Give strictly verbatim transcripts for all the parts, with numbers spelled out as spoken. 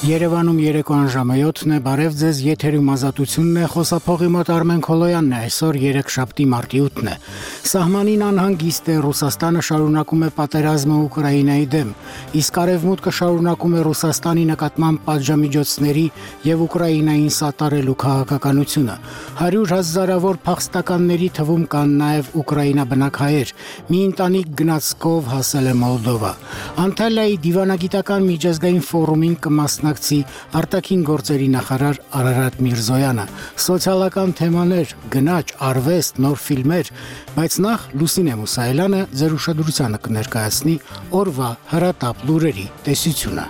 Երևանում երեկոյան ժամը յոթն է, բարև ձեզ, եթերում ազատությունն է, խոսափողի մոտ Արմեն Քոլոյանն է, այսօր երեքշաբթի մարտի ութն է։ Սահմանին անհանգիստ է, Ռուսաստանը շարունակում է պատերազմը Ուկրաինայի դեմ, իսկ Արևմուտքը շարունակում է Ռուսաստանի նկատմամբ պատժամիջոցների եւ Ուկրաինային սատարելու քաղաքականությունը։ Հարյուր հազարավոր փախստականների թվում կան նաեւ Ուկրաինա բնակահայեր, մի ընտանիք գնացքով հասել է Մոլդովա։ Անտալիայի դիվանագիտական միջազգային ֆորումին կմասնակցի արտաքին գործերի նախարար Արարատ Միրզոյանը, սոցիալական թեմաներ, գնաճ, արվեստ, նոր ֆիլմեր, բայց նախ Լուսինե Մուսայելյանը ձեր ուշադրությանը կներկայացնի օրվա հրատապ լուրերի տեսությունը։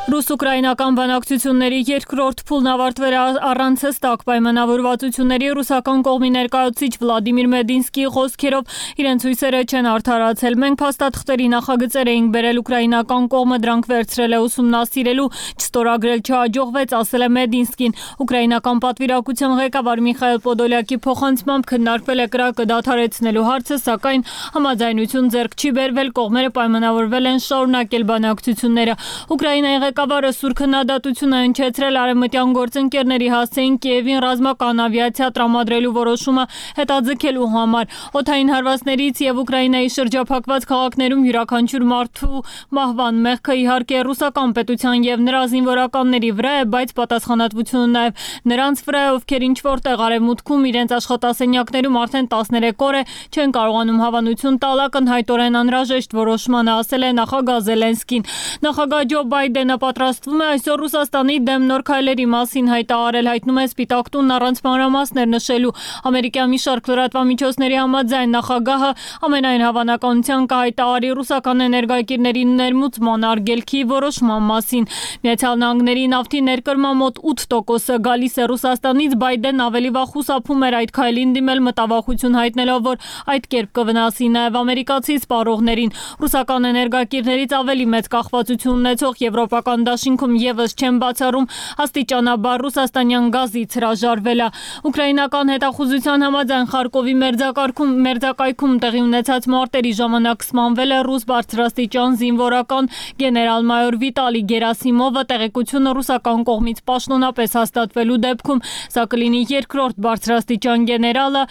Ռուս-ուկրաինական բանակցությունների երկրորդ փուլն ավարտվել է առանց հստակ պայմանավորվածությունների ռուսական կողմի ներկայացուցիչ Վլադիմիր Մեդինսկիի խոսքերով իրենց հույսերը չեն արդարացել։ Մենք փաստաթղթերի նախագծեր էինք բերել, ուկրաինական կողմը դրանք վերցրել է ուսումնասիրելու, չստորագրել չհաջողվեց, ասել է Մեդինսկին։ Ուկրաինական պատվիրակության ղեկավար Միխայել Պոդոլյակի փոխանցմամբ քննարկվել է կրակը դադարեցնելու հարցը, սակայն համաձայնություն ձեռք չի բերվել, կողմերը պայմանավորվել են շարունակել բանակցությունները։ Ուկրաինայի ղեկավարը սուր քննադատությունը հնչեցրել արևմտյան գործընկերների հասցեին Կիևին ռազմական ավիացիա տրամադրելու որոշումը հետաձգելու համար։ Օդային հարվածներից եւ Ուկրաինայի շրջափակված քաղաքներում յուրաքանչյուր մարդու մահվան մեղքը իհարկե ռուսական պետության եւ նրա զինվորականների վրա է, բայց պատասխանատվությունը նաեւ նրանց վրա է, ովքեր ինչ որտեղ արևմուտքում իրենց աշխատասենյակներում արդեն տասներեք օր է չեն կարողանում հավանություն տալ ակնհայտորեն անհրաժեշտ որոշմանը, ասել է նախագահ Զելենսկին։ Նախագահ Ջո Բայդենը պատրաստվում է այսօր Ռուսաստանի դեմ նոր քայլերի մասին հայտարարել, հայտնում է Սպիտակ տունն առանց մանրամասներ նշելու։ Ամերիկյան մի շարք լրատվամիջոցների համաձայն նախագահը ամենայն հավանականության կհայտարարի ռուսական էներգակիրների ներմուծման արգելքի որոշման մասին։ Միացյալ Նահանգների նավթի ներկրման մոտ ութ տոկոսը գալիս է Ռուսաստանից, Բայդենն ավելի վաղ խուսափում էր այդ քայլին դիմել, մտավախություն հայտնելով, որ այդ կերպ կվնասի նաև ամերիկացի սպառողներին։ Ռուսական էներգակիրներից ավելի մեծ կախվածություն ունեցող եվրոպական դաշինքում եւս չեն բացառում աստիճանաբար ռուսաստանյան գազից հրաժարվելը։ Ուկրաինական հետախուզության համաձայն Խարկովի մերձակայքում մերձակայքում տեղի ունեցած մարտերի ժամանակ սպանվել է ռուս բարձրաստիճան զինվորական գեներալ-մայոր Վիտալի Գերասիմովը, տեղեկությունը ռուսական կողմից պաշտոնապես հաստատվելու դեպքում սա կլինի երկրորդ բարձրաստիճան գեներալը,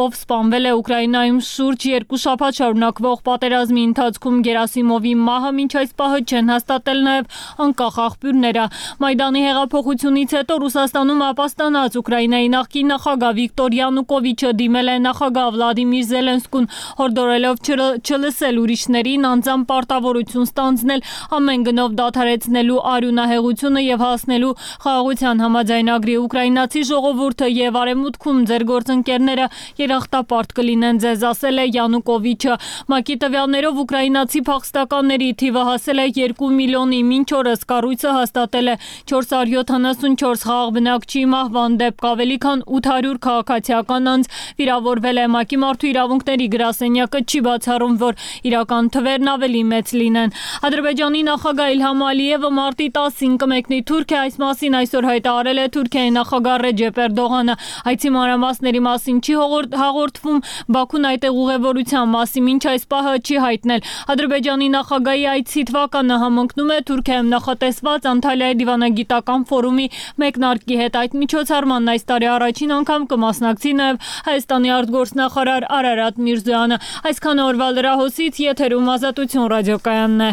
ով սպանվել է Ուկրաինայում շուրջ երկու շաբաթ շարունակվող պատերազմի ընթացքում։ Գերասիմովի մահը մինչ այս պահը չեն հաստատել նաև անկախ աղբյուրները։ Մայդանի հեղափոխությունից հետո Ռուսաստանում ապաստանած Ուկրաինայի նախկին նախագահ Վիկտոր Յանուկովիչը դիմել է նախագահ Վլադիմիր Զելենսկուն, հորդորելով չլսել ուրիշներին, անձամբ պարտավորություն ստանձնել ամեն գնով դադարեցնելու արյունահեղությունը եւ հասնելու խաղաղության համաձայնագրի։ Ուկրաինացի ժողովուրդը եւ արևմուտքում ձեր գործընկերները երախտապարտ կլինեն ձեզ, ասել է Յանուկովիչը։ ՄԱԿ-ի տվյալներով ուկրաինացի փախստականների թիվը հասել է երկու միլիոնի, մինչ օրս կառույցը հաստատել է չորս հարյուր յոթանասունչորս խաղաղ բնակչի մահվան դեպք, ավելի քան ութ հարյուր քաղաքացիական անձ վիրավորվել է։ ՄԱԿ-ի մարդու իրավունքների գրասենյակը չի բացառում, որ իրական թվերն ավելի մեծ լինեն։ Ադրբեջանի նախագահ Իլհամ Ալիևը մարտի տասին կմեկնի Թուրքիա, այս մասին այսօր հայտարարել է Թուրքիայի նախագահ Ռեջեփ Էրդողանը։ Այցի մանրամասների մասին չի հաղորդվում, Բաքուն այդտեղ ուղևորության մասին մինչ այս պահը չի հայտնել։ Ադրբեջանի նախագահի այցի թվականը համընկնում է Թուրքիայում նախատեսված Անտալիայի դիվանագիտական ֆորումի մեկնարկի հետ։ Այդ միջոցառմանն այս տարի առաջին անգամ կմասնակցի նաև Հայաստանի արտգործնախարար Արարատ Միրզոյանը։ Այսքան օրվա լրահոսից եթերում Ազատություն ռադիոկայանն է։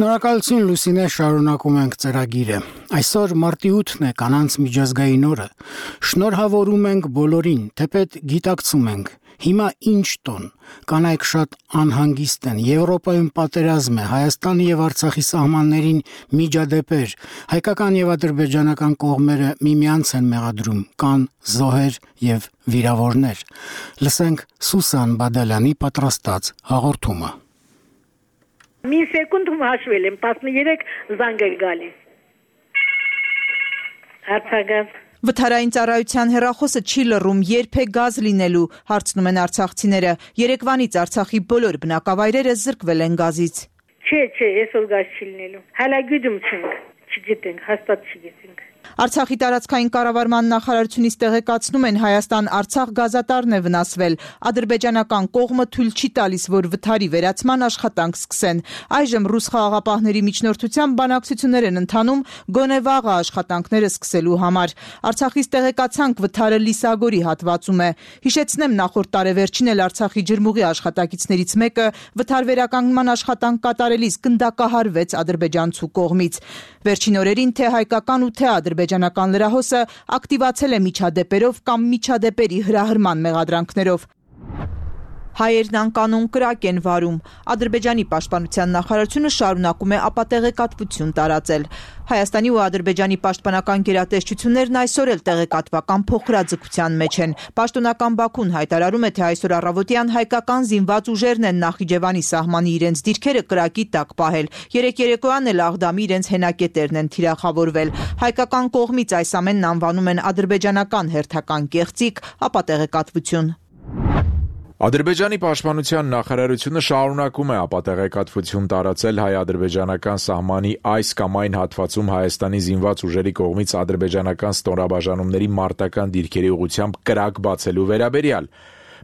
Շնորհակալություն Լուսինե, շարունակում ենք ծրագիրը։ Այսօր մարտի ութն է, կանանց միջազգային օրը։ Շնորհավորում ենք բոլորին, թեպետ գիտակցում ենք, հիմա ինչ տոն, կանայք շատ անհանգիստ են, Եվրոպայում պատերազմ է, Հայաստանի եւ Արցախի սահմաններին միջադեպեր, հայկական եւ ադրբեջանական կողմերը միմյանց են մեղադրում, կան զոհեր եւ վիրավորներ։ Լսենք Սուսան Բադալյանի պատրաստած հաղորդումը։ Մի սեկունդում հաշվել եմ, տասներեք զանգ է գալիս։ Արցախ Վթարային ծառայության հեռախոսը չի լռում, երբ է գազ լինելու, հարցնում են արցախցիները։ Երեկվանից Արցախի բոլոր բնակավայրերը զրկվել են գազից։ Չէ, չէ, այսօր գազ չի լինելու։ Հələ գյուդում չենք, չգիտենք, հաստատ չգիտենք։ Արցախի տարածքային կառավարման նախարարությունից տեղեկացնում են Հայաստան-Արցախ գազատարն է վնասվել։ Ադրբեջանական կողմը թույլ չի տալիս, որ վթարի վերացման աշխատանք սկսեն։ Այժմ ռուս խաղաղապահների միջնորդությամբ բանակցություններ են ընթանում գոնե վաղը աշխատանքները սկսելու համար։ Արցախից տեղեկացանք վթարը Լիսագորի հատվածում է։ Հիշեցնեմ, նախորդ տարեվերջին էլ Արցախի ջրմուղի աշխատակիցներից մեկը վթար վերականգնման աշխատանք կատարելիս գնդակահարվեց ադրբեջանցու կողմից։ Վերջին օրերին թե հայկական ու թե ադրբեջանական լրահոսը ակտիվացել է միջադեպերով կամ միջադեպերի հրահրման մեղադրանքներով։ Հայերն անկանոն կրակ են վարում։ Ադրբեջանի պաշտպանության նախարարությունը շարունակում է ապատեղեկատվություն տարածել։ Հայաստանի ու Ադրբեջանի պաշտպանական գերատեսչություններն այսօր էլ տեղեկատվական փոխհրաձգության մեջ են։ Պաշտոնական Բաքուն հայտարարում է, թե այսօր առավոտյան հայկական զինված ուժերն են Նախիջևանի սահմանի իրենց դիրքերը կրակի տակ պահել։ Երեք երեկոյան էլ Աղդամի իրենց հենակետերն են թիրախավորվել։ Հայկական կողմից այս ամենն անվանում են ադրբեջանական հերթական կեղծիք, ապատեղեկատվություն։ Ադրբեջանի պաշտպանության նախարարությունը շարունակում է ապատեղեկատվություն տարածել հայ-ադրբեջանական սահմանի այս կամ այն հատվածում Հայաստանի զինված ուժերի կողմից ադրբեջանական ստորաբաժանումների մարտական դիրքերի ուղղությամբ կրակ բացելու վերաբերյալ։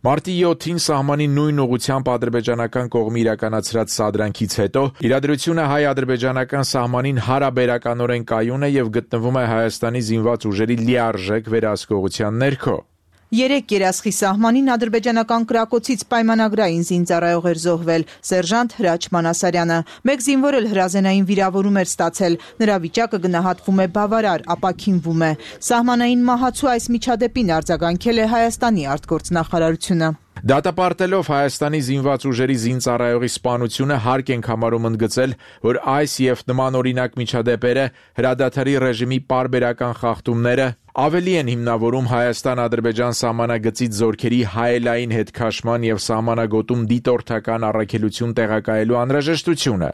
Մարտի յոթին սահմանի նույն ուղղությամբ ադրբեջանական կողմի իրականացրած սադրանքից հետո իրադրությունը հայ-ադրբեջանական սահմանին հարաբերականորեն կայուն է եւ գտնվում է Հայաստանի զինված ուժերի լիարժեք վերահսկողության ներքո։ Երեք երասխի սահմանին ադրբեջանական կրակոցից պայմանագրային զինծառայող էր զոհվել սերժանտ Հրաչ Մանասարյանը։ Մեկ զինվոր էլ հրազենային վիրավորում էր ստացել։ Նրա վիճակը գնահատվում է բավարար, ապաքինվում է։ Սահմանային մահացու այս միջադեպին արձագանքել է Հայաստանի արտգործնախարարությունը։ Դատապարտելով Հայաստանի զինված ուժերի զինծառայողի սպանությունը հարկ ենք համարում ընդգծել, որ այս եւ նման օրինակ միջադեպերը հրադադարի ռեժիմի պարբերական խախտումները ավելի են հիմնավորում Հայաստան-Ադրբեջան սահմանագծից զորքերի հայելային հետքաշման եւ սահմանագոտում դիտորդական առաքելություն տեղակայելու անհրաժեշտությունը։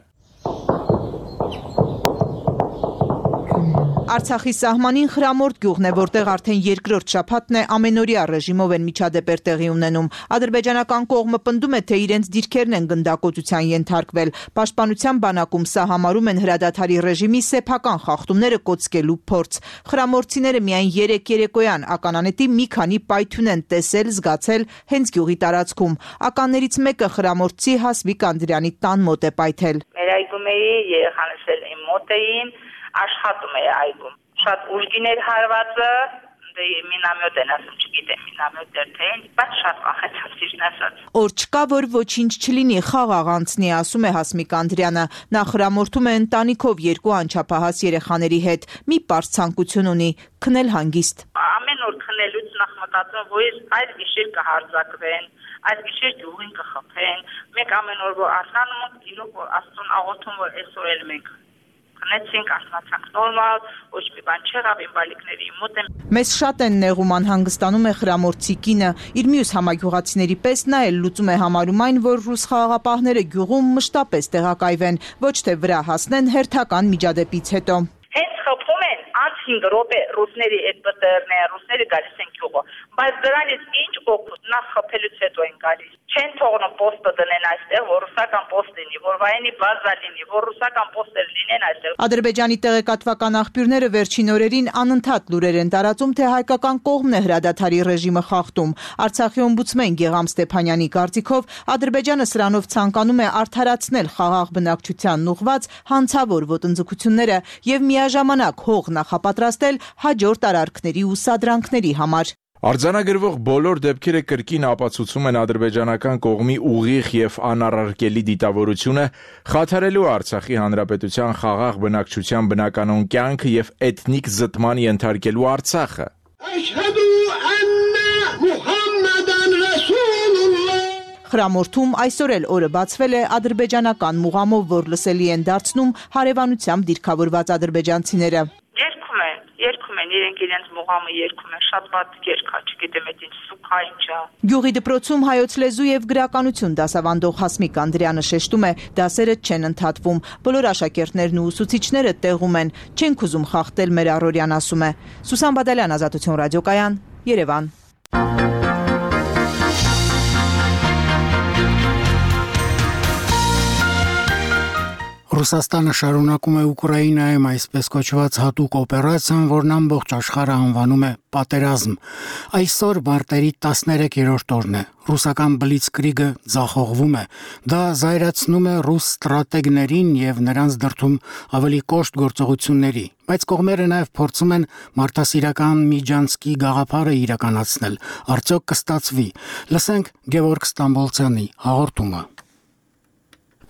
Արցախի սահմանին Խրամորդ գյուղն է, որտեղ արդեն երկրորդ շաբաթն է ամենօրյա ռեժիմով են միջադեպեր տեղի ունենում։ Ադրբեջանական կողմը պնդում է, թե իրենց դիրքերն են գնդակոծության ենթարկվել։ Պաշտպանության բանակում սա համարում են հրադադարի ռեժիմի սեփական խախտումները կոծկելու փորձ։ Խրամորդցիները միայն երեք երեկոյան ականանետի մի քանի պայթյուն են տեսել, զգացել հենց գյուղի տարածքում։ Ականներից մեկը խրամորդցի Հասմիկ Անդրյանի տան մոտ է պայթել։ Մեր այգում էի, երեխաներս էլ իմ մոտ էին, աշխատում է այգում։ Շատ ուժգին էր հարվածը, դե մինամյոտ են ասում, չգիտեմ մինամյոտ էր թե ինչ, բայց շատ վախեցած ճիշտ ասած։ Օր չկա, որ ոչինչ չլինի, խաղաղ անցնի, ասում է Հասմիկ Անդրյանը։ Նա խրամորդում է ընտանիքով երկու անչափահաս երեխաների հետ։ Մի պարզ ցանկություն ունի՝ քնել հանգիստ։ Ամեն օր քնելուց նախ մտածում, որ այս գիշեր կհարձակվեն, այս գիշեր գյուղին կխփեն։ Մենք ամեն օր որ արթնանում ենք, իրոք որ Աստծուն աղոթում, որ այսօր էլ մենք քնեցինք, ասացանք նորմալ, ոչ մի բան չեղավ, իմ բալիկների մոտ եմ։ Մեզ շատ են նեղում, անհանգստանում է խրամորդցի կինը։ Իր մյուս համագյուղացիների պես նա էլ լուծում է համարում այն, որ ռուս խաղաղապահները գյուղում մշտապես տեղակայվեն, ոչ թե վրա հասնեն հերթական միջադեպից հետո։ Հենց խփում են, անց հինգ րոպե ռուսների այդ բտերներ, ռուսները գալիս են գյուղը, բայց դրանից ինչ օգուտ, նախ խփելուց հետո են գալիս։ Չեն թողնում պոստը դնեն այստեղ, որ ռուսական պոստ լինի, որ վայնի բազա լինի, որ ռուսական պոստեր լինեն այստեղ։ Ադրբեջանի տեղեկատվական աղբյուրները վերջին օրերին անընդհատ լուրեր են տարածում, թե հայկական կողմն է հրադադարի ռեժիմը խախտում։ Արցախի օմբուդսմեն Գեղամ Ստեփանյանի կարծիքով Ադրբեջանը սրանով ցանկանում է արդարացնել խաղաղ բնակչությանն ուղղված հանցավոր ոտնձգությունները եւ միաժամանակ հող նախապատրաստել հաջորդ արարքների ու սադրանքների համար։ Արձանագրվող բոլոր դեպքերը կրկին ապացուցում են ադրբեջանական կողմի ուղիղ եւ անառարկելի դիտավորությունը խաթարելու Արցախի հանրապետության խաղաղ բնակչության բնականոն կյանքը եւ էթնիկ զտման ենթարկելու Արցախը։ Խրամորդում այսօր էլ օրը բացվել է ադրբեջանական մուղամով, որ լսելի են դարձնում հարևանությամբ դիրքավորված ադրբեջանցիները։ Երգում են, երգում են, իրենք իրենց մուղամը երգում են, շատ վատ երգա, չգիտեմ, այդ ինչ սուփա ինչա։ Գյուղի դպրոցում հայոց լեզու եւ գրականություն դասավանդող Հասմիկ Անդրյանը շեշտում է, դասերը չեն ընդհատվում, բոլոր աշակերտներն ու ուսուցիչները տեղում են, չենք ուզում խախտել մեր առօրյան, ասում է։ Սուսան Բադալյան, Ազատություն ռադիոկայան, Երևան։ Ռուսաստանը շարունակում է Ուկրաինայում այսպես կոչված հատուկ օպերացիան, որն ամբողջ աշխարհը անվանում է պատերազմ։ Այսօր մարտերի տասներեքերորդ օրն է։ Ռուսական բլիցկրիգը ձախողվում է։ Դա զայրացնում է ռուս ստրատեգներին եւ նրանց դրդում ավելի կոշտ գործողությունների։ Բայց կողմերը նաև փորձում են մարդասիրական Միջանցկի գաղափարը իրականացնել։ Արդյոք կստացվի։ Լսենք Գևորգ Ստամբոլցյանի հաղորդումը։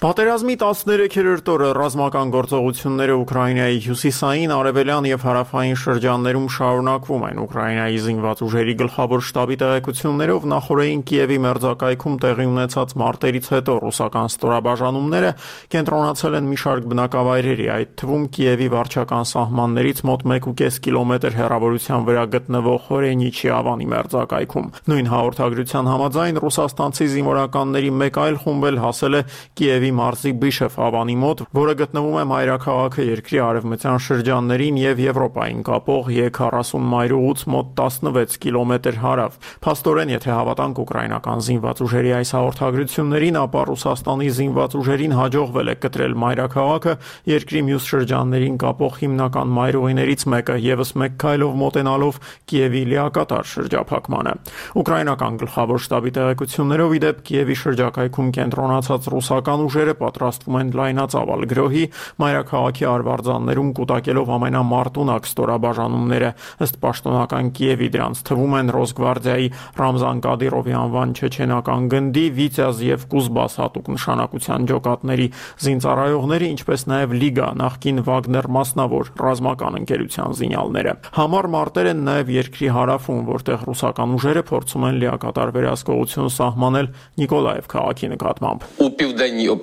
Պատերազմի տասներեքերորդ օրը ռազմական գործողությունները Ուկրաինայի հյուսիսային, արևելյան եւ հարավային շրջաններում շարունակվում են։ Ուկրաինայի զինված ուժերի գլխավոր շտաբի տեղեկություններով նախորդին Կիևի մերձակայքում տեղի ունեցած մարտերից հետո ռուսական ստորաբաժանումները կենտրոնացել են մի շարք բնակավայրերի, այդ թվում Կիևի վարչական սահմաններից մոտ մեկ ու կես կիլոմետր հեռավորության վրա գտնվող Հորենիչի ավանի մերձակայքում։ Նույն հաղորդագրության համաձայն ռուսաստանցի զինվորականների մեկ այլ խումբ էլ հասել է Կիևի մարզի Բիշև ավանի մոտ, որը գտնվում է մայրաքաղաքը երկրի արևմտյան շրջաններին եւ Եվրոպային կապող Է քառասուն մայրուղուց մոտ տասնվեց կիլոմետր հարավ։ Փաստորեն, եթե հավատանք ուկրաինական զինված ուժերի այս հաղորդագրություններին, ապա Ռուսաստանի զինված ուժերին հաջողվել է կտրել մայրաքաղաքը երկրի մյուս շրջաններին կապող հիմնական մայրուղիներից մեկը, եւս մեկ քայլով մոտենալով Կիևի լիակատար շրջափակմանը։ Ուկրաինական գլխավոր շտաբի տեղեկություններով, ի դեպ, Կիևի շրջակայքում կենտրոնացած ռուսական ուժերը պատրաստվում են լայնածավալ գրոհի, մայրաքաղաքի արվարձաններում կուտակելով ամենամարտունակ ստորաբաժանումները։ Ըստ պաշտոնական Կիևի դրանց թվում են Ռոսգվարդիայի Ռամզան Կադիրովի անվան չեչենական գնդի, Վիտյազ եւ Կուզբաս հատուկ նշանակության ջոկատների զինծառայողները, ինչպես նաեւ Լիգա, նախկին Վագներ մասնավոր ռազմական ընկերության զինյալները։ Համառ մարտեր են նաեւ երկրի հարավում, որտեղ ռուսական ուժերը փորձում են լիակատար վերահսկողություն սահմանել Նիկոլաև քաղաքի նկատմամբ։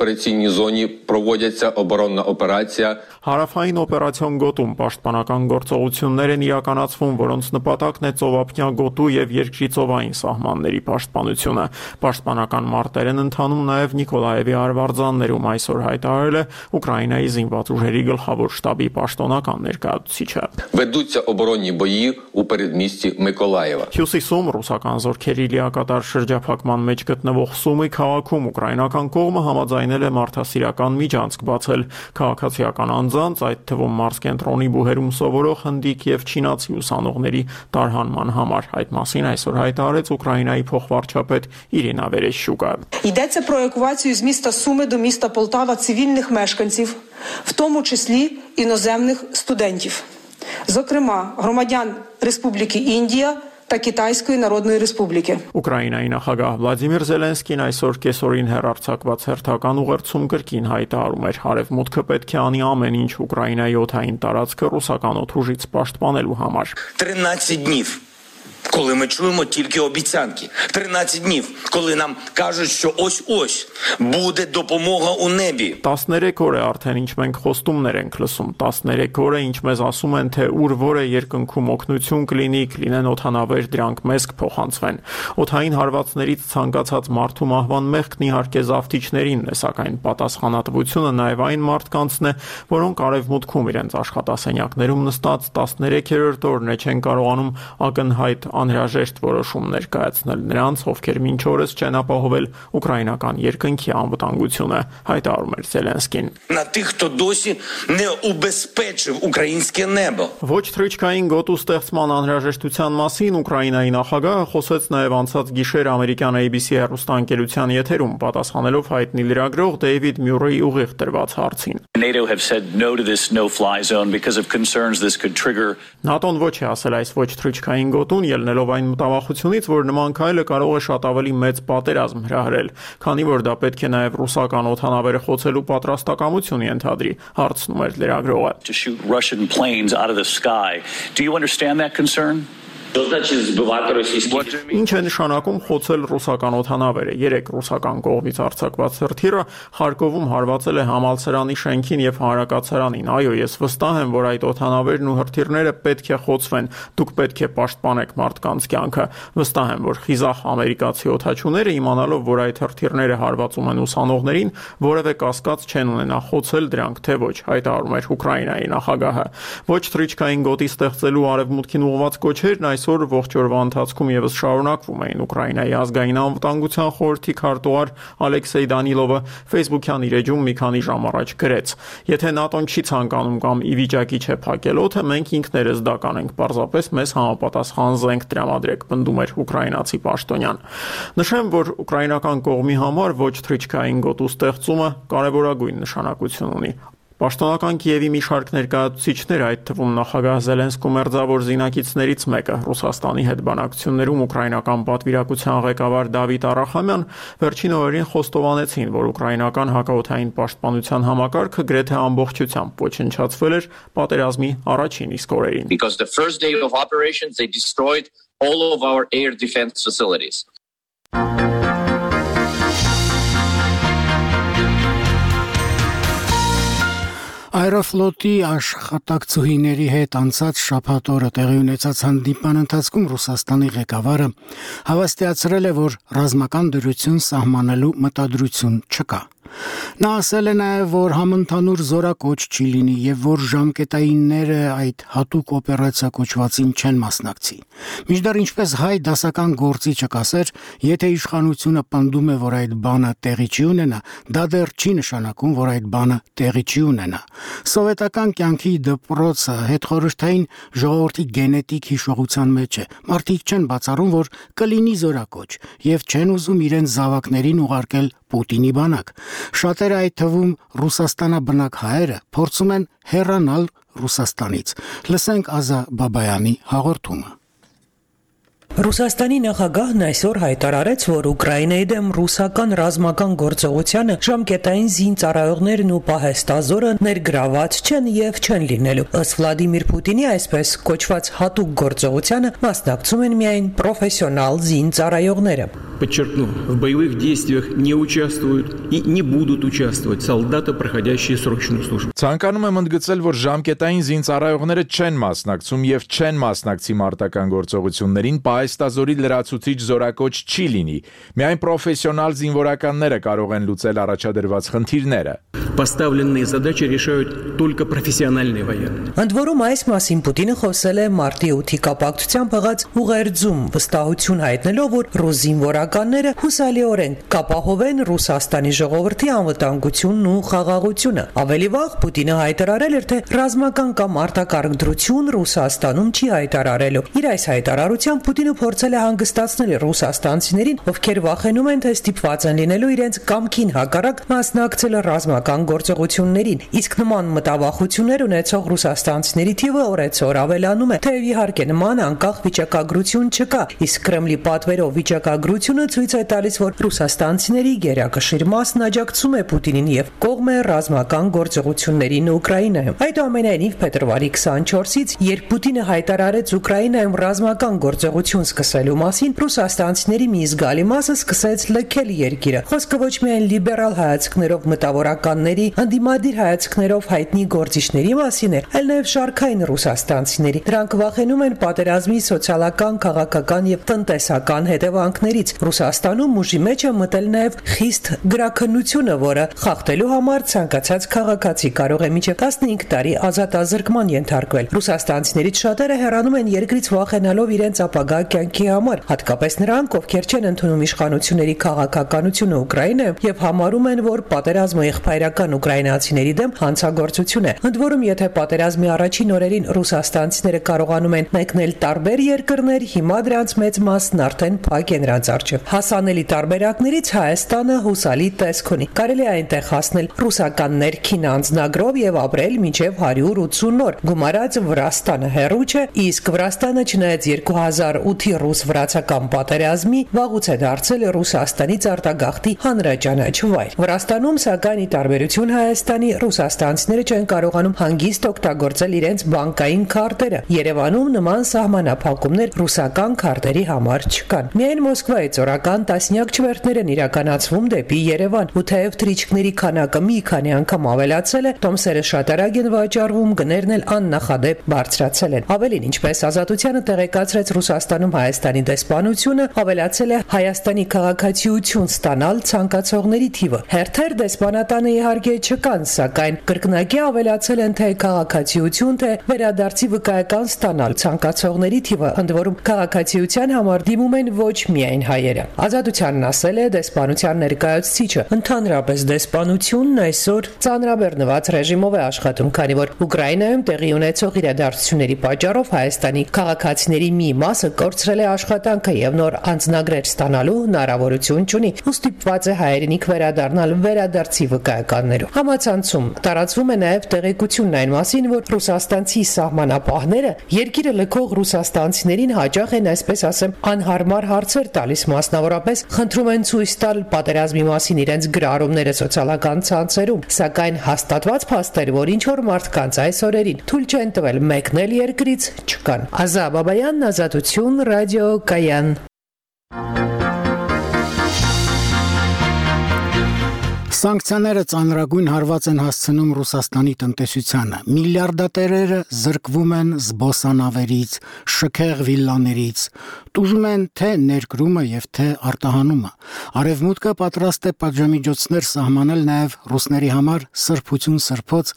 Операційній зоні проводиться оборонна операція. Հարավային օպերացիոն գոտում պաշտպանական գործողություններ են իրականացվում, որոնց նպատակն է ծովափնյա գոտու եւ երկրի ծովային սահմանների պաշտպանությունը։ Պաշտպանական մարտեր են ընթանում նաեւ Նիկոլաևի արվարձաններում, այսօր հայտարարել է Ուկրաինայի զինված ուժերի գլխավոր շտաբի պաշտոնական ներկայացուցիչը։ Ведуться оборонні бої у передмісті Миколаєва. Հյուսիսում ռուսական զորքերի լիակատար շրջափակման մեջ գտնվող Սումի քաղաքում ուկրաինական կողմը համաձայնել է մարդասիրական միջանցք բացել քաղաքացիական անձանց, այդ թվում մարզկենտրոնի բուհերում սովորող հնդիկ եւ չինացի ուսանողների տարհանման համար։ Այդ մասին այսօր հայտարարեց Ուկրաինայի փոխվարչապետ Ірина Верещука. Йдеться про евакуацію з міста Суми до міста Полтава цивільних мешканців, в тому числі іноземних студентів, зокрема громадян Республіки Індія та Китайської Народної Республіки. Ուկրաինայի նախագահ Վլադիմիր Զելենսկին այսօր կեսօրին հեռարձակված հերթական ուղերձում կրկին հայտարարում էր, հարևմուտքը պետք է անի ամեն ինչ Ուկրաինայի օդային տարածքը ռուսական օդուժից պաշտպանելու համար։ тринадцять днів, коли ми чуємо тільки обіцянки. тринадцять днів, коли нам кажуть, що ось-ось буде допомога у небі. տասներեք օր է արդեն ինչ մենք խոստումներ ենք լսում, տասներեք օր է ինչ մեզ ասում են, թե ուր որը երկնքում օգնություն կլինի, կլինեն օդանավեր, դրանք մեզ կփոխանցվեն։ Օդային հարվածներից ցանկացած մարդու մահվան մեղքն իհարկե զավթիչներինն է, սակայն պատասխանատվությունը նաև այն մարդկանցն է, որոնք արևմուտքում իրենց աշխատասենյակներում նստած տասներեքերորդ օրն է չեն կարողանում ակնհայտ անհրաժեշտ որոշումներ կայացնել նրանց, ովքեր մինչ օրս չեն ապահովել ուկրաինական երկնքի անվտանգությունը, հայտարարում էր Զելենսկին։ На тих, хто досі не убезпечив українське небо. Ոչ թրիչքային գոտու ստեղծման անհրաժեշտության մասին Ուկրաինայի նախագահը խոսեց նաև անցած գիշեր ամերիկյան A B C հեռուստաընկերության եթերում, պատասխանելով հայտնի լրագրող Դեյվիդ Մյուրեի ուղիղ տրված հարցին։ NATO have said no to this no-fly zone because of concerns this could trigger. ՆԱՏՕ-ն ոչ է ասել այս ոչ թրիչքային գոտուն, ելնելով այն մտավախությունից, որ նման քայլը կարող է շատ ավելի մեծ պատերազմ հրահրել, քանի որ դա պետք է նաև ռուսական օդանավերը խոցելու պատրաստակամություն ենթադրի, հարցնում էր լրագրողը։ To shoot Russian planes out of the sky. Do you understand that concern? Ինչ է նշանակում խոցել ռուսական օդանավերը։ Երեք ռուսական կողմից արձակված հրթիռը Խարկովում հարվածել է համալսարանի շենքին եւ հանրակացարանին։ Այո, ես վստահ եմ, որ այդ օդանավերն ու հրթիռները պետք է խոցվեն։ Դուք պետք է պաշտպանեք մարդկանց կյանքը։ Վստահ եմ, որ խիզախ ամերիկացի օդաչուները իմանալով, որ այդ հրթիռները հարվածում են ուսանողներին, որևէ կասկած չեն ունենա խոցել դրանք, թե ոչ, հայտարարում էր Ուկրաինայի նախագահը։ Ոչ թռիչքային գոտի ստեղծելու արևմուտքին ուղղված կոչերն այսօր ողջ օրվա ընթացքում եւս շարունակվում էին։ Ուկրաինայի ազգային անվտանգության խորհրդի քարտուղար Ալեքսեյ Դանիլովը Facebook-յան իր էջում մի քանի ժամ առաջ գրեց. Եթե ՆԱՏՕ-ն չի ցանկանում կամ ի վիճակի չէ փակել օդը, մենք ինքներս դա կանենք, պարզապես մեզ համապատասխան զենք տրամադրեք, պնդում էր ուկրաինացի պաշտոնյան։ Նշեմ, որ ուկրաինական կողմի համար ոչ թռիչքային գոտու ստեղծումը կարևորագույն նշանակություն ունի։ Պաշտոնական Կիևի մի շարք ներկայացուցիչներ, այդ թվում նախագահ Զելենսկու մերձավոր զինակիցներից մեկը, Ռուսաստանի հետ բանակցություններում ուկրաինական պատվիրակության ղեկավար Դավիթ Արախամյան, վերջին օրերին խոստովանեցին, որ ուկրաինական հակաօդային պաշտպանության համակարգը գրեթե ամբողջությամբ ոչնչացվել էր պատերազմի առաջին իսկ օրերին։ Because the first day of operations they destroyed all of our air defense facilities. Aeroflot-ի աշխատակցուհիների հետ անցած շաբաթ օրը տեղի ունեցած հանդիպման ընթացքում Ռուսաստանի ղեկավարը հավաստիացրել է, որ ռազմական դրություն սահմանելու մտադրություն չկա։ Նա ասել է նաև, որ համընդհանուր զորակոչ չի լինի եւ որ ժամկետայինները այդ հատուկ օպերացիա կոչվածին չեն մասնակցի։ Մինչդեռ ինչպես հայ դասական գործիչը կասեր, եթե իշխանությունը պնդում է, որ այդ բանը տեղի չի ունենա, դա դեռ չի նշանակում, որ այդ բանը տեղի չի ունենա։ Սովետական կյանքի դպրոցը հետխորհրդային ժողովրդի գենետիկ հիշողության մեջ է։ Մարդիկ չեն բացառում, որ կլինի զորակոչ եւ չեն ուզում իրենց զավակներին ուղարկել Պուտինի բանակ։ Շատերը, այդ թվում Ռուսաստանաբնակ հայերը, փորձում են հեռանալ Ռուսաստանից։ Լսենք Ազա Բաբայանի հաղորդումը։ Ռուսաստանի նախագահն այսօր հայտարարեց, որ Ուկրաինայի դեմ ռուսական ռազմական գործողությանը ժամկետային զինծառայողներն ու պահեստազորը ներգրաված չեն եւ չեն լինելու։ Ըստ Վլադիմիր Պուտինի այսպես կոչված հատուկ գործողությանը մասնակցում են միայն պրոֆեսիոնալ զինծառայողները։ Подчеркну, в боевых действиях не участвуют и не будут участвовать солдаты, проходящие срочную службу. Ցանկանում եմ ընդգծել, որ ժամկետային զինծառայողները չեն մասնակցում եւ չեն մասնակցի մարտական գործողություններին, պահեստազորի լրացուցիչ զորակոչ չի լինի։ Միայն պրոֆեսիոնալ զինվորականները կարող են լուծել առաջադրված խնդիրները։ Поставленные задачи решают только профессиональные военные. Ընդ որում այս մասին Պուտինը խոսել է մարտի ութի կապակցությամբ եղած ուղերձում, վստահություն հայտնելով, որ ռուս զինվորականները հուսալիորեն կապահովեն Ռուսաստանի ժողովրդի անվտանգությունն ու խաղաղությունը։ Ավելի վաղ Պուտինը հայտարարել էր, թե ռազմական կամ արտակարգ դրություն Ռուսաստանում չի հայտարարելու։ Իր այս հայտարարությամբ Պուտինը փորձել է հանգստացնել ռուսաստանցիներին, ովքեր վախենում են, թե ստիպված են լինելու իրենց կամքին հակառակ մասնակցել ռազմական գործողություններին։ Իսկ նման մտավախություններ ունեցող ռուսաստանցիների թիվը օրեցօր ավելանում է, թեև իհարկե նման անկախ վիճակագրություն չկա, իսկ Կրեմլի պատվերով վիճակագրությունը ցույց է տալիս, որ ռուսաստանցիների գերակշիռ մասն աջակցում է Պուտինին եւ կողմ է ռազմական գործողություններին Ուկրաինայում։ Այդուամենայնիվ փետրվարի քսանչորսից, երբ Պուտինը հայտարարեց Ուկրաինայում ռազմական գործողություն սկսելու մասին, ռուսաստանցիների մի զգալի մասը սկսեց լքել երկիրը։ Խոսքը ոչ միայն լիբերալ հայացքներով մտավորականների, ընդդիմադիր հայացքներով հայտնի գործիչների մասին է, այլ նաև շարքային ռուսաստանցիների։ Դրանք վախենում են պատերազմի սոցիալական, քաղաքական եւ տնտեսական հետևանքներից։ Ռուսաստանում ուժի մեջ է մտել նաև խիստ գրաքննությունը, որը խախտելու համար ցանկացած քաղաքացի կարող է մինչև տասնհինգ տարի ազատազրկման ենթարկվել։ Ռուսաստանցիներից շատերը հեռանում են երկրից վախենալով իրենց ապագա կյանքի համար, հատկապես նրանք, ովքեր չեն ընդունում իշխանությունների քաղաքականությունը Ուկրաինայում եւ համարում են, որ պատերազմը եղբայրական ուկրաինացիների դեմ հանցագործություն է։ Ընդ որում, եթե պատերազմի առաջին օրերին ռուսաստանցիները կարողանում են մեկնել տարբեր երկրներ, հիմա դրանց մեծ մասն արդեն փակ է նրանց առջև արջև։ Հասանելի տարբերակներից Հայաստանը հուսալի տեսք ունի։ Կարելի է այնտեղ հասնել ռուսական ներքին անձնագրով եւ ապրել մինչեւ հարյուր ութսուն օր։ Գումարած Վրաստանը հեռու չէ, իսկ Վրաստանը չնայած երկու հազար ութի ռուս-վրացական պատերազմի վաղուց է դարձել Ռուսաստանից արտագաղթի հանրաճանաչ վայր։ Վրաստանում, սակայն, ի տարբերություն Հայաստանի, ռուսաստանցիները չեն կարողանում հանգիստ օգտագործել իրենց բանկային քարտերը։ Երևանում նման սահմանափակումներ ռուսական քարտերի համար չկան։ Միայն Մոսկվայից օրական տասնյակ չվերթներ են իրականացվում դեպի Երևան, ու թեև թռիչքների քանակը մի քանի անգամ ավելացել է, տոմսերը շատ արագ են վաճառվում, գներն էլ աննախադեպ բարձրացել են։ Ավելին, ինչպես Ազատությանը տեղեկացրեց Ռուսաստանում Հայաստանի դեսպանությունը, ավելացել է Հայաստանի քաղաքացիություն ստանալ ցանկացողների թիվը։ Հերթեր դեսպանատանը իհարկե չկան, սակայն կրկնակի ավելացել են թե քաղաքացիություն, թե վերադարձի վկայական ստանալ ցանկացողների թիվը, ընդ որում քաղաքացիության համար դիմում են ոչ միայն հայերը։ Ազատությանն ասել է դեսպանության ներկայացուցիչը, ընդհանրապես դեսպանությունն այսօր ծանրաբեռնված ռեժիմով է աշխատում, քանի որ Ուկրաինայում տեղի ունեցող իրադարձությունների պատճառով Հայաստանի քաղաքացիների մի մասը կորցրել է աշխատանքը եւ նոր անձնագրեր ստանալու հնարավորություն չունի, ու ստիպված է հայերենիք վերադառնալ վերադարձի վկայականներով։ Համացանցում տարածվում է նաեւ տեղեկությունն այն մասին, որ ռուսաստանցի սահմանապահները երկիրը լքող ռուսաստանցիներին հաճախ են, այսպես ասեմ, անհարմար հարցեր տալիս, մասնավորապես խնդրում են ցույց տալ պատերազմի մասին իրենց գրառումները սոցիալական ցանցերում, սակայն հաստատված փաստեր, որ ինչ որ մարդկանց այս օրերին թույլ չեն տվել մեկնել երկրից, չկան։ Ազա Բաբայան, Ազատություն, Ռադիո Կայան։ Սանկցիաները ծանրագույն հարված են հասցնում Ռուսաստանի տնտեսությանը։ Միլիարդատերերը զրկվում են զբոսանավերից, շքեղ վիլլաներից, տուժում են թե ներկրումը եւ թե արտահանումը։ Արևմուտքը պատրաստ է պատժամիջոցներ սահմանել նաեւ ռուսների համար սրբություն սրբոց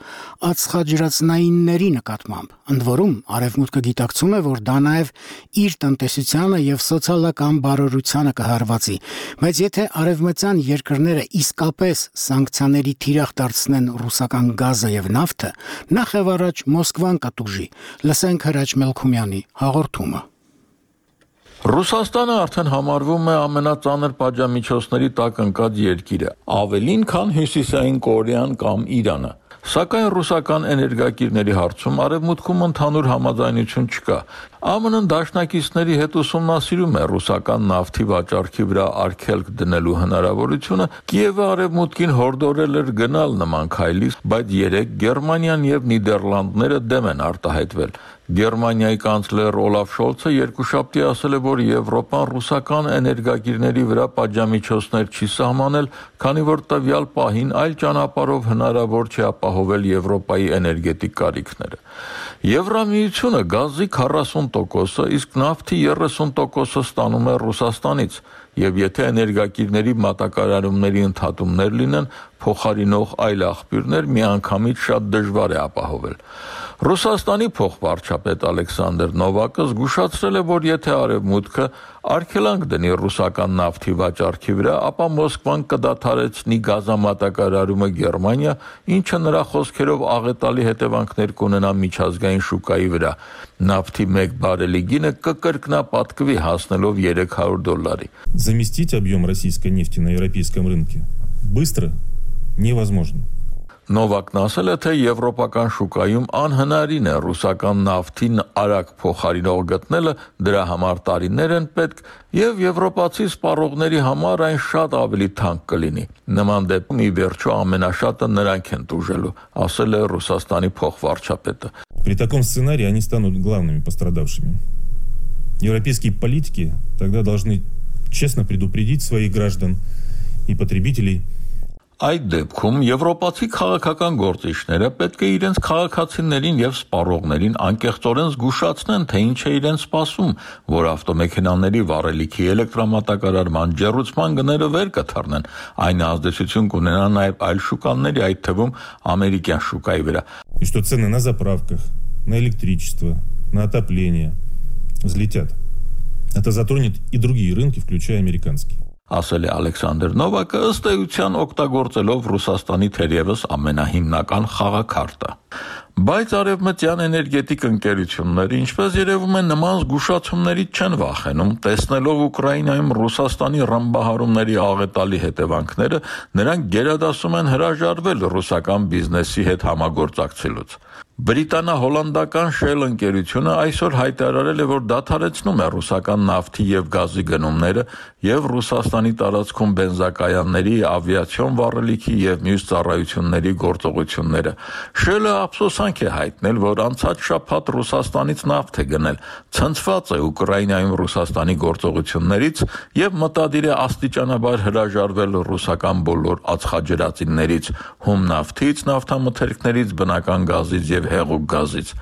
ածխաջրածնայինների նկատմամբ։ Ընդ որում, Արևմուտքը գիտակցում է, որ դա նաեւ իր տնտեսությանը եւ սոցիալական բարօրությանը կհարվածի։ Բայց եթե արևմտյան երկրները իսկապես սանկցիաների թիրախ դարձնեն ռուսական գազը եւ նավթը, նախ եւ առաջ Մոսկվան կտուժի։ Լսենք Հրաչ Մելքումյանի հաղորդումը։ Ռուսաստանը արդեն համարվում է ամենածանր պատժամիջոցների տակ ընկած երկիրը, ավելին, քան Հյուսիսային Կորեան կամ Իրանը։ Սակայն ռուսական էներգակիրների հարցում արևմուտքում ընդհանուր համաձայնություն չկա։ ԱՄՆ-ն դաշնակիցների հետ ուսումնասիրում է ռուսական նավթի վաճառքի վրա արգելք դնելու հնարավորությունը։ Կիևը արևմուտքին հորդորել էր գնալ նման քայլի, բայց երեք Գերմանիան եւ Նիդերլանդները դեմ են արտահայտվել։ Գերմանիայի կանցլեր Օլաֆ Շոլցը երկուշաբթի ասել է, որ Եվրոպան ռուսական էներգակիրների վրա պատժամիջոցներ չի սահմանել, քանի որ տվյալ պահին այլ ճանապարհով հնարավոր չէ ապահովել Եվրոպայի էներգետիկ կարիքները։ Եվրամիությունը գազի քառասուն տոկոսը, իսկ նավթի երեսուն տոկոսը ստանում է Ռուսաստանից, եւ եթե էներգակիրների մատակարարումների ընդհատումներ լինեն, փոխարինող այլ աղբյուրներ միանգամից շատ դժվար է ապահովել։ Ռուսաստանի փոխվարչապետ Ալեքսանդր Նովակը զգուշացրել է, որ եթե արևմուտքը արգելանք դնի ռուսական նավթի վաճառքի վրա, ապա Մոսկվան կդադարեցնի գազամատակարարումը Գերմանիա, ինչը նրա խոսքերով աղետալի հետևանքներ կունենա միջազգային շուկայի վրա։ Նավթի մեկ բարելի գինը կկրկնապատկվի հասնելով երեք հարյուր դոլարի։ Заместить объем российской нефти на европейском рынке быстро невозможно. Նովակն ասել է, թե եվրոպական շուկայում անհնարին է ռուսական նավթին արագ փոխարինող գտնելը, դրա համար տարիներ են պետք, եւ եվրոպացի սպառողների համար այն շատ ավելի թանկ կլինի։ Նման դեպքում ի վերջո ամենաշատը նրանք են տուժելու, ասել է Ռուսաստանի փոխվարչապետը։ При таком сценарии они станут главными пострадавшими. Европейские политики тогда должны честно предупредить своих граждан и потребителей. Այդ դեպքում եվրոպացի քաղաքական գործիչները պետք է իրենց քաղաքացիներին եւ սպառողներին անկեղծորեն զգուշացնեն, թե ինչ է իրենց սպասում, որ ավտոմեքենաների վառելիքի էլեկտրամատակարարման ջեռուցման գները վեր կթռնեն, այն ազդեցություն կունենա նաեւ այլ շուկաների, այդ թվում ամերիկյան շուկայի վրա։ И что цены на заправках, на электричество, на отопление взлетят. Это затронет и другие рынки, включая американский. Ասել է Ալեքսանդր Նովակը, ըստ էության օգտագործելով Ռուսաստանի թերևս ամենահիմնական խաղաքարտը։ Բայց արևմտյան էներգետիկ ընկերությունները, ինչպես երևում է, նման զգուշացումներից չեն վախենում, տեսնելով Ուկրաինայում Ռուսաստանի ռմբահարումների աղետալի հետևանքները, նրանք գերադասում են հրաժարվել ռուսական բիզնեսի հետ համագործակցելուց։ Բրիտանա-հոլանդական Shell ընկերությունը այսօր հայտարարել է, որ դադարեցնում է ռուսական նավթի եւ գազի գնումները եւ Ռուսաստանի տարածքում բենզակայանների, ավիացիոն վառելիքի եւ մյուս ծառայությունների գործողությունները։ Shell-ը ափսոսանք է հայտնել, որ անցած շաբաթ Ռուսաստանից նավթ է գնել, ցնցված է Ուկրաինայում Ռուսաստանի գործողություններից եւ մտադիր է աստիճանաբար հրաժարվել ռուսական բոլոր ածխաջրածիններից, հում նավթից, նավթամթերքներից, բնական գազից եւ հեղուկ գազից։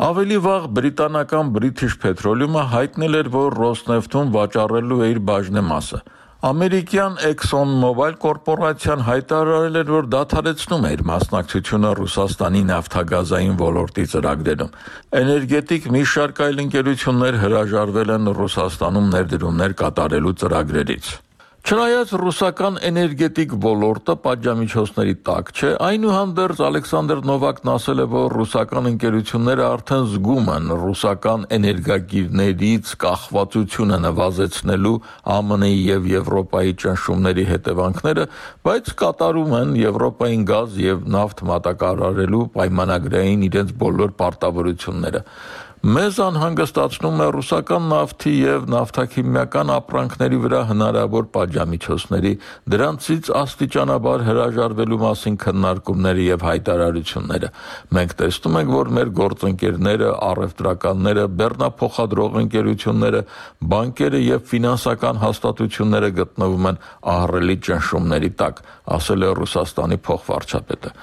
Ավելի վաղ բրիտանական British Petroleum-ը հայտնել էր, որ Rosneft-ում վաճառելու է իր բաժնեմասը։ Ամերիկյան ExxonMobil կորպորացիան հայտարարել էր, որ դադարեցնում է իր մասնակցությունը Ռուսաստանի նավթագազային ոլորտի ծրագրերում։ Էներգետիկ մի շարք այլ ընկերություններ հրաժարվել են Ռուսաստանում ներդրումներ կատարելու ծրագրերից։ Չնայած ռուսական էներգետիկ ոլորտը պատժամիջոցների տակ չէ, այնուհանդերձ Ալեքսանդր Նովակն ասել է, որ ռուսական ընկերությունները արդեն զգում են ռուսական էներգակիրներից կախվածությունը նվազեցնելու ԱՄՆ -ի եւ Եվրոպայի ճնշումների հետևանքները, բայց կատարում են Եվրոպային գազ եւ նավթ մատակարարելու պայմանագրային իրենց բոլոր պարտավորությունները։ Մեզ անհանգստացնում է ռուսական նավթի եւ նավթաքիմիական ապրանքների վրա հնարավոր պատժամիջոցների, դրանցից աստիճանաբար հրաժարվելու մասին քննարկումները եւ հայտարարությունները։ Մենք տեսնում ենք, որ մեր գործընկերները, առևտրականները, բեռնափոխադրող ընկերությունները, բանկերը եւ ֆինանսական հաստատությունները գտնվում են ահռելի ճնշումների տակ, ասել է Ռուսաստանի փոխվարչապետը։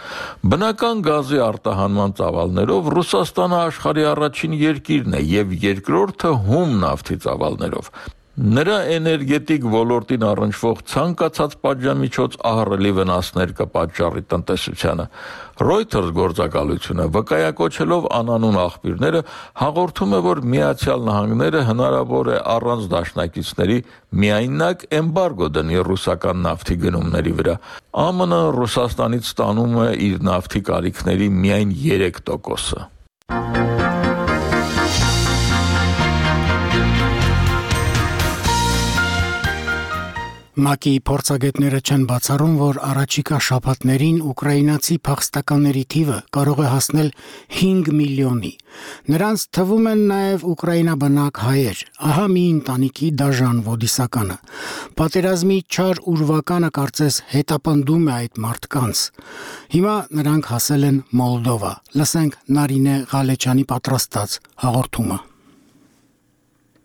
Բնական գազի արտահանման ծավալներով Ռուսաստանը աշխարհի առաջին երկիրն է եւ երկրորդը հում նավթի ծավալներով։ Նրա էներգետիկ ոլորտին առնչվող ցանկացած պատժամիջոց ահռելի վնասներ կպատճառի տնտեսությանը։ Reuters գործակալությունը վկայակոչելով անանուն աղբյուրները հաղորդում է, որ Միացյալ Նահանգները հնարավոր է առանց դաշնակիցների միայնակ էմբարգո դնի ռուսական նավթի գնումների վրա։ ԱՄՆ Ռուսաստանից ստանում է իր նավթի կարիքների միայն երեք տոկոսը։ ՄԱԿ-ի փորձագետները չեն բացառում, որ առաջիկա շաբաթներին ուկրաինացի փախստականների թիվը կարող է հասնել հինգ միլիոնի։ Նրանց թվում են նաև ուկրաինաբնակ հայեր։ Ահա մի ընտանիքի դաժան ոդիսականը։ Պատերազմի չար ուրվականը կարծես հետապնդում է այդ մարդկանց։ Հիմա նրանք հասել են Մոլդովա։ Լսենք Նարինե Ղալեչյանի պատրաստած հաղորդումը։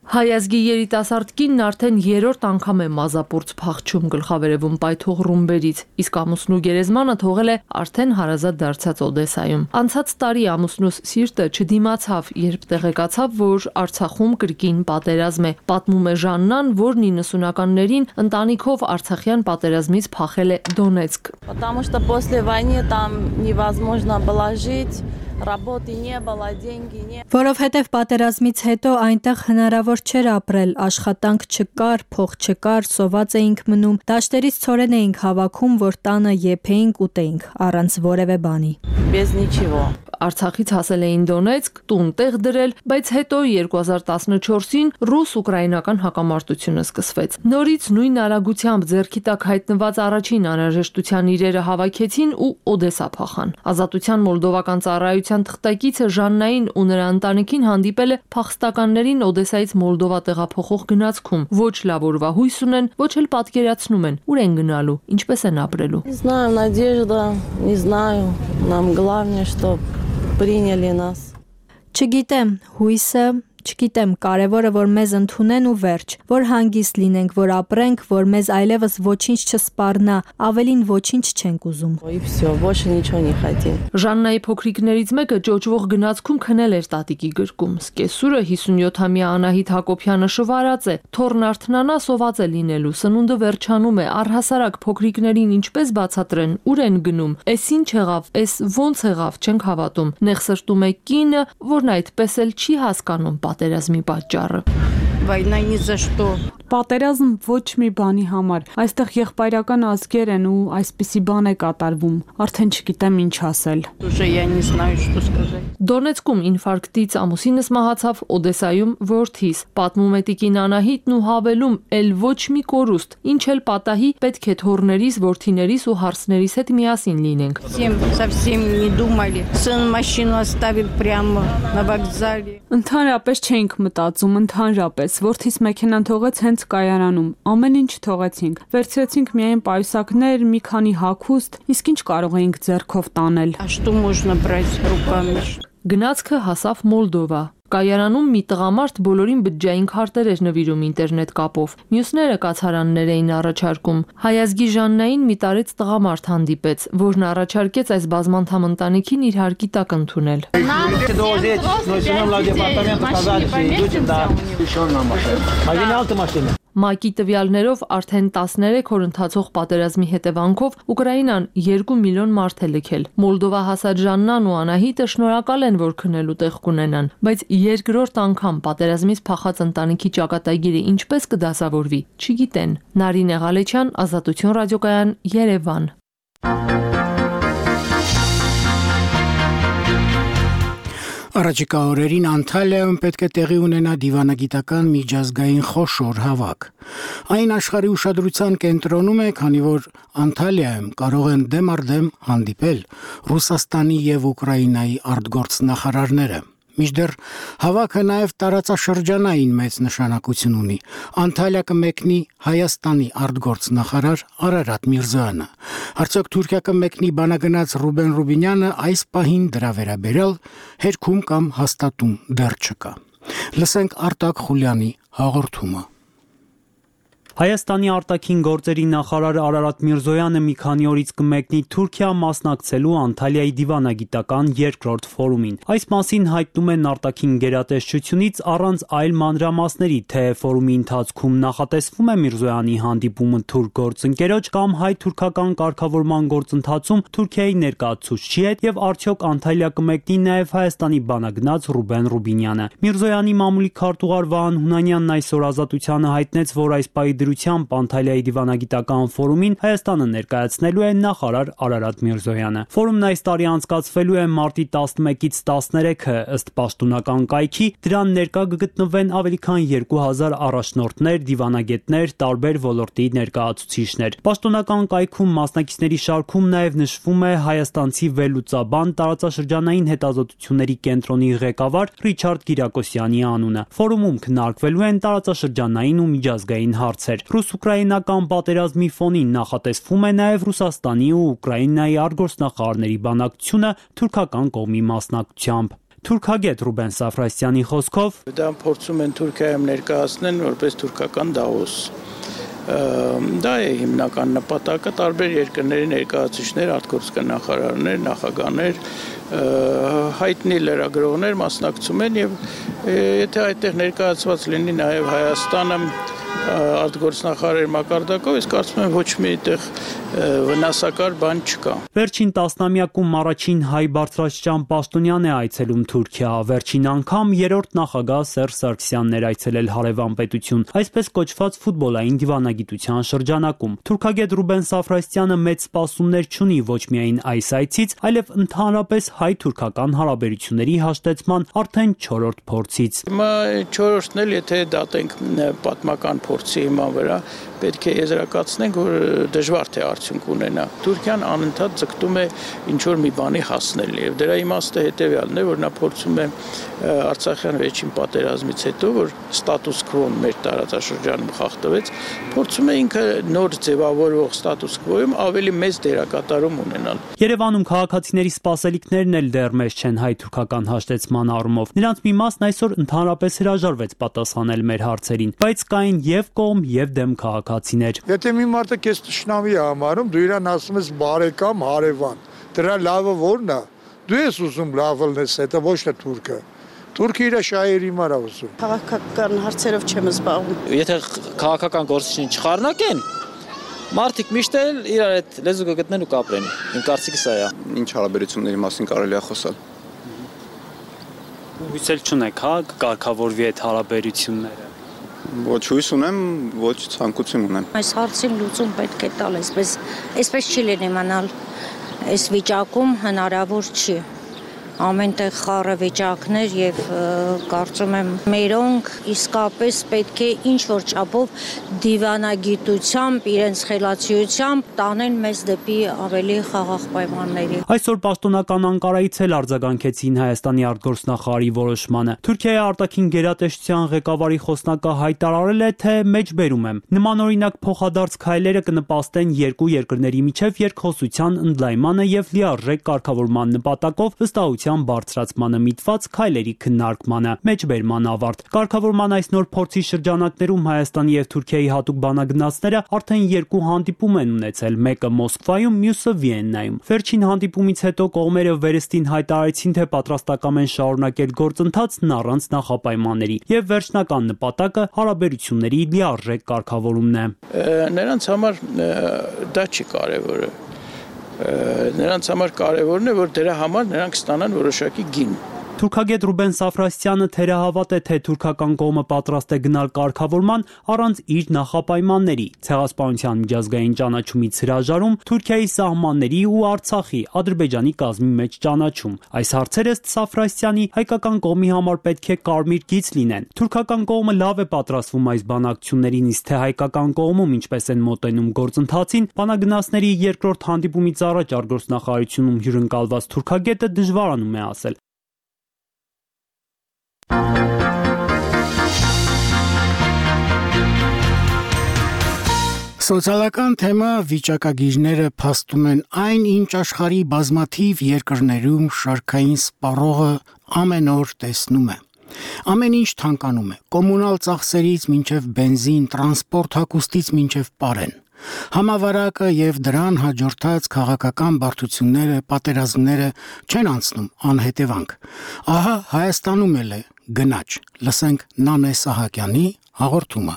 Հայազգի երիտասարդ կինն արդեն երրորդ անգամ է մազապուրց փախչում գլխավերևում պայթող ռումբերից, իսկ ամուսնու գերեզմանը թողել է արդեն հարազատ դարձած Օդեսայում։ Անցած տարի ամուսնուս սիրտը չդիմացավ, երբ տեղեկացավ, որ Արցախում կրկին պատերազմ է։ Պատմում է Ժաննան, որն իննսունականներին ընտանիքով Արցախյան պատերազմից փախել է Դոնեցկ։ Потому что после войны там невозможно было жить. Работы не было, деньги не. Որովհետև պատերազմից հետո այնտեղ հնարավոր չէր ապրել, աշխատանք չկար, փող չկար, սոված էինք մնում, դաշտերից ցորեն էինք հավաքում, որ տանը եփեինք, ուտեինք, առանց որևէ բանի։ Без ничего. Արցախից հասել էին Դոնեցկ, տուն տեղ դրել, բայց հետո երկու հազար տասնչորսին ռուս-ուկրաինական հակամարտությունը սկսվեց։ Նորից նույն արագությամբ ձեռքի տակ հայտնված առաջին անհրաժեշտության իրերը հավաքեցին ու Օդեսա փախան։ Ազատության մոլդովական ծառայության թղթակիցը Ժաննային ու նրա ընտանիքին հանդիպել է փախստականներին Օդեսայից Մոլդովա տեղափոխող գնացքում։ Ոչ լավ օրվա հույս ունեն, ոչ էլ պատկերացնում են, ուր են գնալու, ինչպես են ապրելու։ Не знаю, надежда, не знаю. Нам главное, что приняли нас. Չգիտեմ, հույսը, չգիտեմ, կարևորը որ մեզ ընդունեն ու վերջ, որ հանգիստ լինենք, որ ապրենք, որ մեզ այլևս ոչինչ չսպառնա, ավելին ոչինչ չենք ուզում։ И всё, больше ничего не хотим. Ժաննայի փոքրիկներից մեկը ճոճվող գնացքում քնել էր տատիկի գրկում։ Սկեսուրը հիսունյոթամյա Անահիտ Հակոբյանը շվարած է, թորն արթնանա սոված է լինելու, սնունդը վերջանում է, առհասարակ փոքրիկներին ինչպես բացատրեն, ուր են գնում, էս ինչ եղավ, էս ոնց եղավ, չենք հավատում։ Նեղ սրտում է կինը, որն այդպես էլ չի հասկանում պատերազմի պատճառը։ Война ни за что. Պատերազմ ոչ մի բանի համար։ Այստեղ եղբայրական ազգեր են ու այսպիսի բան է կատարվում։ Արդեն չգիտեմ ինչ ասել։ Уже я не знаю, что сказать. Դոնեցկում ինֆարկտից ամուսինս մահացավ, Օդեսայում որդիս։ Պատմում է տիկին Անահիտն ու հավելում, էլ ոչ մի կորուստ, ինչ էլ պատահի, պետք է թոռներիս, որդիներիս ու հարսներիս հետ միասին լինենք։ Совсем, совсем не думали. Сын машину оставил прямо на вокзале. Ընդհանրապես չէինք մտածում, ընդհանրապես։ Որդիս մեքենան թողեց հենց կայարանում, ամեն ինչ թողեցինք, վերցրեցինք միայն պայուսակներ, մի քանի հագուստ, իսկ ինչ կարող էինք ձեռքով տանել։ Գնացքը հասավ Մոլդովա։ Կայարանում մի տղամարդ բոլորին բջջային քարտեր էր նվիրում ինտերնետ կապով։ Մյուսները կացարաններ էին առաջարկում։ Հայազգի Ժաննային մի տարեց տղամարդ հանդիպեց, որն առաջարկեց այս բազմանդամ ընտանիքին իր հարկի տակ ընդունել։ ՄԱԿ-ի տվյալներով արդեն տասներեք օր ընթացող պատերազմի հետևանքով Ուկրաինան երկու միլիոն մարդ է լքել։ Մոլդովա հասած Ժաննան ու Անահիտը շնորհակալ են, որ քնելու տեղ կունենան, բայց երկրորդ անգամ պատերազմից փախած ընտանիքի ճակատագիրը ինչպես կդասավորվի, չգիտեն։ Նարինե Ղալեչյան, Ազատություն ռադիոկայան, Երևան։ Առաջիկա օրերին Անտալիայում պետք է տեղի ունենա դիվանագիտական միջազգային խոշոր հավաք։ Այն աշխարհի ուշադրության կենտրոնում է, քանի որ Անտալիայում կարող են դեմ առ դեմ հանդիպել Ռուսաստանի եւ Ուկրաինայի արտգործնախարարները։ Մինչդեռ հավաքը նաև տարածաշրջանային մեծ նշանակություն ունի։ Անտալիա կմեկնի Հայաստանի արտգործնախարար Արարատ Միրզոյանը։ Արդյոք Թուրքիա կմեկնի բանագնաց Ռուբեն Ռուբինյանը այս պահին դրա վերաբերյալ հերքում կամ հաստատում դեռ չկա։ Լսենք Արտակ Խուլյանի հաղորդումը։ Հայաստանի արտաքին գործերի նախարար Արարատ Միրզոյանը մի քանի օրից կմեկնի Թուրքիա մասնակցելու Անտալիայի դիվանագիտական երկրորդ ֆորումին։ Այս մասին հայտնում են արտաքին գերատեսչությունից առանց այլ մանրամասների, թե ֆորումի ընթացքում նախատեսվում է Միրզոյանի հանդիպումը թուրք գործընկերոջ կամ հայ-թուրքական կարգավորման գործընթացում Թուրքիայի ներկայացուցչի հետ եւ արդյոք Անտալիա կմեկնի նաեւ Հայաստանի բանագնաց Ռուբեն Ռուբինյանը։ Միրզոյանի մամուլի քարտուղար Վահան Հունանյանն այսօր Ազատությանը հայտնեց, որ այս պահի դրությամբ Անտալիայի դիվանագիտական ֆորումին Հայաստանը ներկայացնելու է նախարար Արարատ Միրզոյանը։ Ֆորումն այս տարի անցկացվելու է մարտի տասնմեկից տասներեքը, ըստ պաշտոնական կայքի, դրան ներկա կգտնվեն ավելի քան երկու հազար առաջնորդներ, դիվանագետներ, տարբեր ոլորտի ներկայացուցիչներ։ Պաշտոնական կայքում մասնակիցների շարքում նաև նշվում է հայաստանցի վերլուծաբան, տարածաշրջանային հետազոտությունների կենտրոնի ղեկավար Ռիչարդ Կիրակոսյանի անունը։ Ֆորումում քննարկվելու են տարածաշրջանային ու միջազգային հարցեր։ Ռուս-ուկրաինական պատերազմի ֆոնին նախատեսվում է նաև Ռուսաստանի ու Ուկրաինայի արտգործնախարարների բանակցությունը թուրքական կողմի մասնակցությամբ։ Թուրքագետ Ռուբեն Սաֆրասյանի խոսքով դա փորձում են Թուրքիայում ներկայացնել որպես թուրքական դավոս։ Դա է հիմնական նպատակը, տարբեր երկրների ներկայացուցիչներ, արտգործնախարարներ, նախագահներ, հայտնի լրագրողներ մասնակցում են եւ եթե այդտեղ ներկայացված լինի նաեւ Հայաստանը արտգործնախարար մակարդակով, ես կարծում եմ ոչ մի այդտեղ վնասակար բան չկա։ Վերջին տասնամյակում առաջին հայ բարձրաստիճան պաշտոնյան է այցելում Թուրքիա, վերջին անգամ երրորդ նախագահ Սերժ Սարգսյանն էր այցելել հարևան պետություն, այսպես կոչված ֆուտբոլային դիվանագիտության շրջանակում։ Թուրքագետ Ռուբեն Սաֆրասյանը մեծ սպասումներ չունի ոչ միայն այս այցից, այլև ընդհանրապես հայ-թուրքական հարաբերությունների հաշտեցման արդեն չորրորդ փորձից։ Հիմա չորրորդն էլ եթե դատենք պատմական փորձի հիման վրա, պետք է եզրակացնենք, որ դժվար թե արդյունք ունենա։ Թուրքիան անընդհատ ձգտում է ինչ-որ մի բանի հասնել եւ դրա իմաստը հետեւյալն է, որ նա փորձում է Արցախյան վերջին պատերազմից հետո, որ ստատուս քվոն մեր տարածաշրջանում խախտվեց, փորձում է ինքը նոր ձևավորվող ստատուս քվոյում ավելի մեծ դերակատարում ունենալ։ Երևանում քաղաքացիների սպասելիքներն էլ դեռ մեծ չեն հայ-թուրքական հաշտեցման առումով։ Նրանց մի մասն այսօր ընդհանրապես հրաժարվեց պատասխանել մեր հարցերին, բայց կային եւ կողմ եւ դեմ քաղաքացիներ։ Եթե մի մարդը քեզ ճշնամի է համարում, դու իրան ասում ես բարեկամ, հարևան։ Դրա լավը ո՞րն է։ Դու ես ուզում լավը լնես, դա ոչ թե թուրքը։ Թուրքը իր շահերի համար է ուզում։ Քաղաքական հարցերով չեմ զբաղվում։ Եթե քաղաքական գործիչին չխառնակեն, մարդիկ միշտ էլ իրար այդ լեզու կգտնեն ու կապրեն։ Իմ կարծիքը սա է։ Ինչ հարաբերությունների մասին կարելի է խոսալ։ Հույսել չունեք, հա, կարգավորվի այդ հարաբերությունները։ Ոչ հույս ունեմ, ոչ ցանկություն ունեմ։ Այս հարցին լուծում պետք է տալ, այսպես, այսպես չի լինի մնալ, այս վիճակում հնարավոր չի։ Ամենտեղ խառը վիճակներ եւ կարծում եմ մերոնք իսկապես պետք է ինչ որ չափով դիվանագիտությամբ իրենց խելացիությամբ տանեն մեզ դեպի ավելի խաղաղ պայմանների։ Այսօր պաշտոնական Անկարայից էլ արձագանքեցին Հայաստանի արտգործնախարարի որոշմանը։ Թուրքիայի արտաքին գերատեսչության ղեկավարի խոսնակը հայտարարել է, թե մեջբերում եմ նմանօրինակ փոխադարձ քայլերը կնպաստեն երկու երկրների միջև երկխոսության ընդլայնմանը եւ լիարժեք կարգավորման նպատակով վստահության բարձրացմանը միտված քայլերի քննարկմանը։ Մեջբերման ավարտ։ Կարգավորման այս նոր փորձի շրջանակներում Հայաստանի եւ Թուրքիայի հատուկ բանագնացները արդեն երկու հանդիպում են ունեցել, մեկը Մոսկվայում, մյուսը Վիեննայում։ Վերջին հանդիպումից հետո կողմերը վերստին հայտարարեցին, թե պատրաստական են շարունակել գործընթացն առանց նախապայմանների եւ վերջնական նպատակը հարաբերությունների լիարժեք կարգավորումն է։ Նրանց համար դա չի կարևորը։ Նրանց համար կարևորն է, որ դրա համար նրանք ստանան որոշակի գին։ Թուրքագետ Ռուբեն Սաֆրասյանը թերահավատ է, թե թուրքական կողմը պատրաստ է գնալ կարգավորման առանց իր նախապայմանների։ Ցեղասպանության միջազգային ճանաչումից հրաժարում, Թուրքիայի սահմանների ու Արցախի, Ադրբեջանի կազմի մեջ ճանաչում։ Այս հարցերը ըստ Սաֆրասյանի հայկական կողմի համար պետք է կարմիր գիծ լինեն։ Թուրքական կողմը լավ է պատրաստվում այս բանակցություններին, իսկ թե հայկական կողմում ինչպես են մոտենում գործընթացին, բանագնացների երկրորդ հանդիպումից առաջ արտգործնախարարությունում հյուրընկալված թուրքագետը դժվարանում է ասել։ Սոցիալական թեմա վիճակագիրները փաստում են այն, ինչ աշխարհի բազմաթիվ երկրներում շարքային սպառողը ամեն օր տեսնում է։ Ամեն ինչ թանկանում է՝ կոմունալ ծախսերից մինչև բենզին, տրանսպորտ հագուստից մինչև պարեն։ Համավարակը եւ դրան հաջորդած քաղաքական բարդությունները, պատերազմները չեն անցնում անհետևանք։ Ահա Հայաստանում էլ է գնաճ։ Լսենք Նանե Սահակյանի հաղորդումը։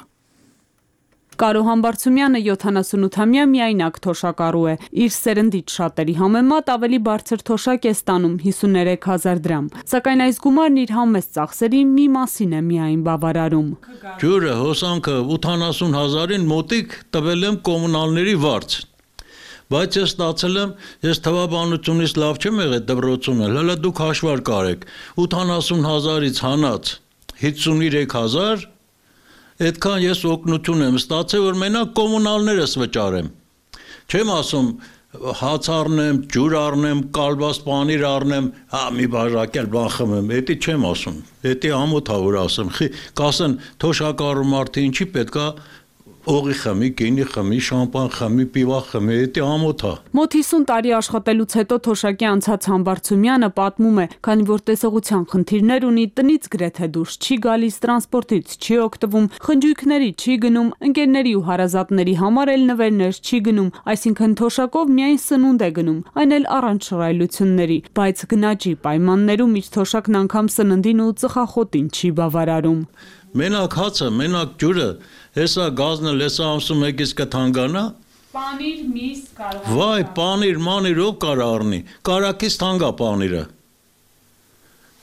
Կարո Համբարձումյանը յոթանասունութամյա միայնակ թոշակառու է։ Իր սերնդից շատերի համեմատ ավելի բարձր թոշակ է ստանում հիսուներեք հազար դրամ։ Սակայն այս գումարն իր համեստ ծախսերի մի մասին է միայն բավարարում։ Ջուրը, հոսանքը ութանասուն հազարին մոտիկ տվել եմ կոմունալների վարձ։ Բայց ես ստացել եմ, ես թվաբանությունից լավ չեմ եղել դպրոցում էլ, հələ դուք հաշվար կարեք, ութանասուն հազարից հանած հիսուներեք հազար, այդքան ես օգնություն եմ ստացել, որ մենակ կոմունալներս վճարեմ։ Չեմ ասում հաց առնեմ, ջուր առնեմ, կալբաս պանիր առնեմ, հա մի բաժակել բան խմեմ, էդի չեմ ասում։ Էդի ամոթ ա որ ասեմ, կասեն թոշակառու մարդը ինչի պետքա օղի խմի, գինի խմի, շամպան խմի, պիվա խմի, էդի ամոթ ա։ Մոտ հիսուն տարի աշխատելուց հետո թոշակի անցած Համբարձումյանը պատմում է, քանի որ տեսողության խնդիրներ ունի, տնից գրեթե դուրս չի գալիս, տրանսպորտից չի օգտվում, խնջույքների չի գնում, ընկերների ու հարազատների համար էլ նվերներ չի գնում, այսինքն թոշակով միայն սնունդ է գնում, այն էլ առանց շռայլությունների, բայց գնաճի պայմաններում իր թոշակն անգամ սննդին ու ծխախոտին չի բավարարում։ Մենակ հացը, մենակ ջուրը, հեսա գազնը լեսա ամսում եկից կթանգանա։ Պանիր, միս, կարող։ Վայ, պանիր, մանիր ով կարա առնի, կարակից թանգա պանիրը։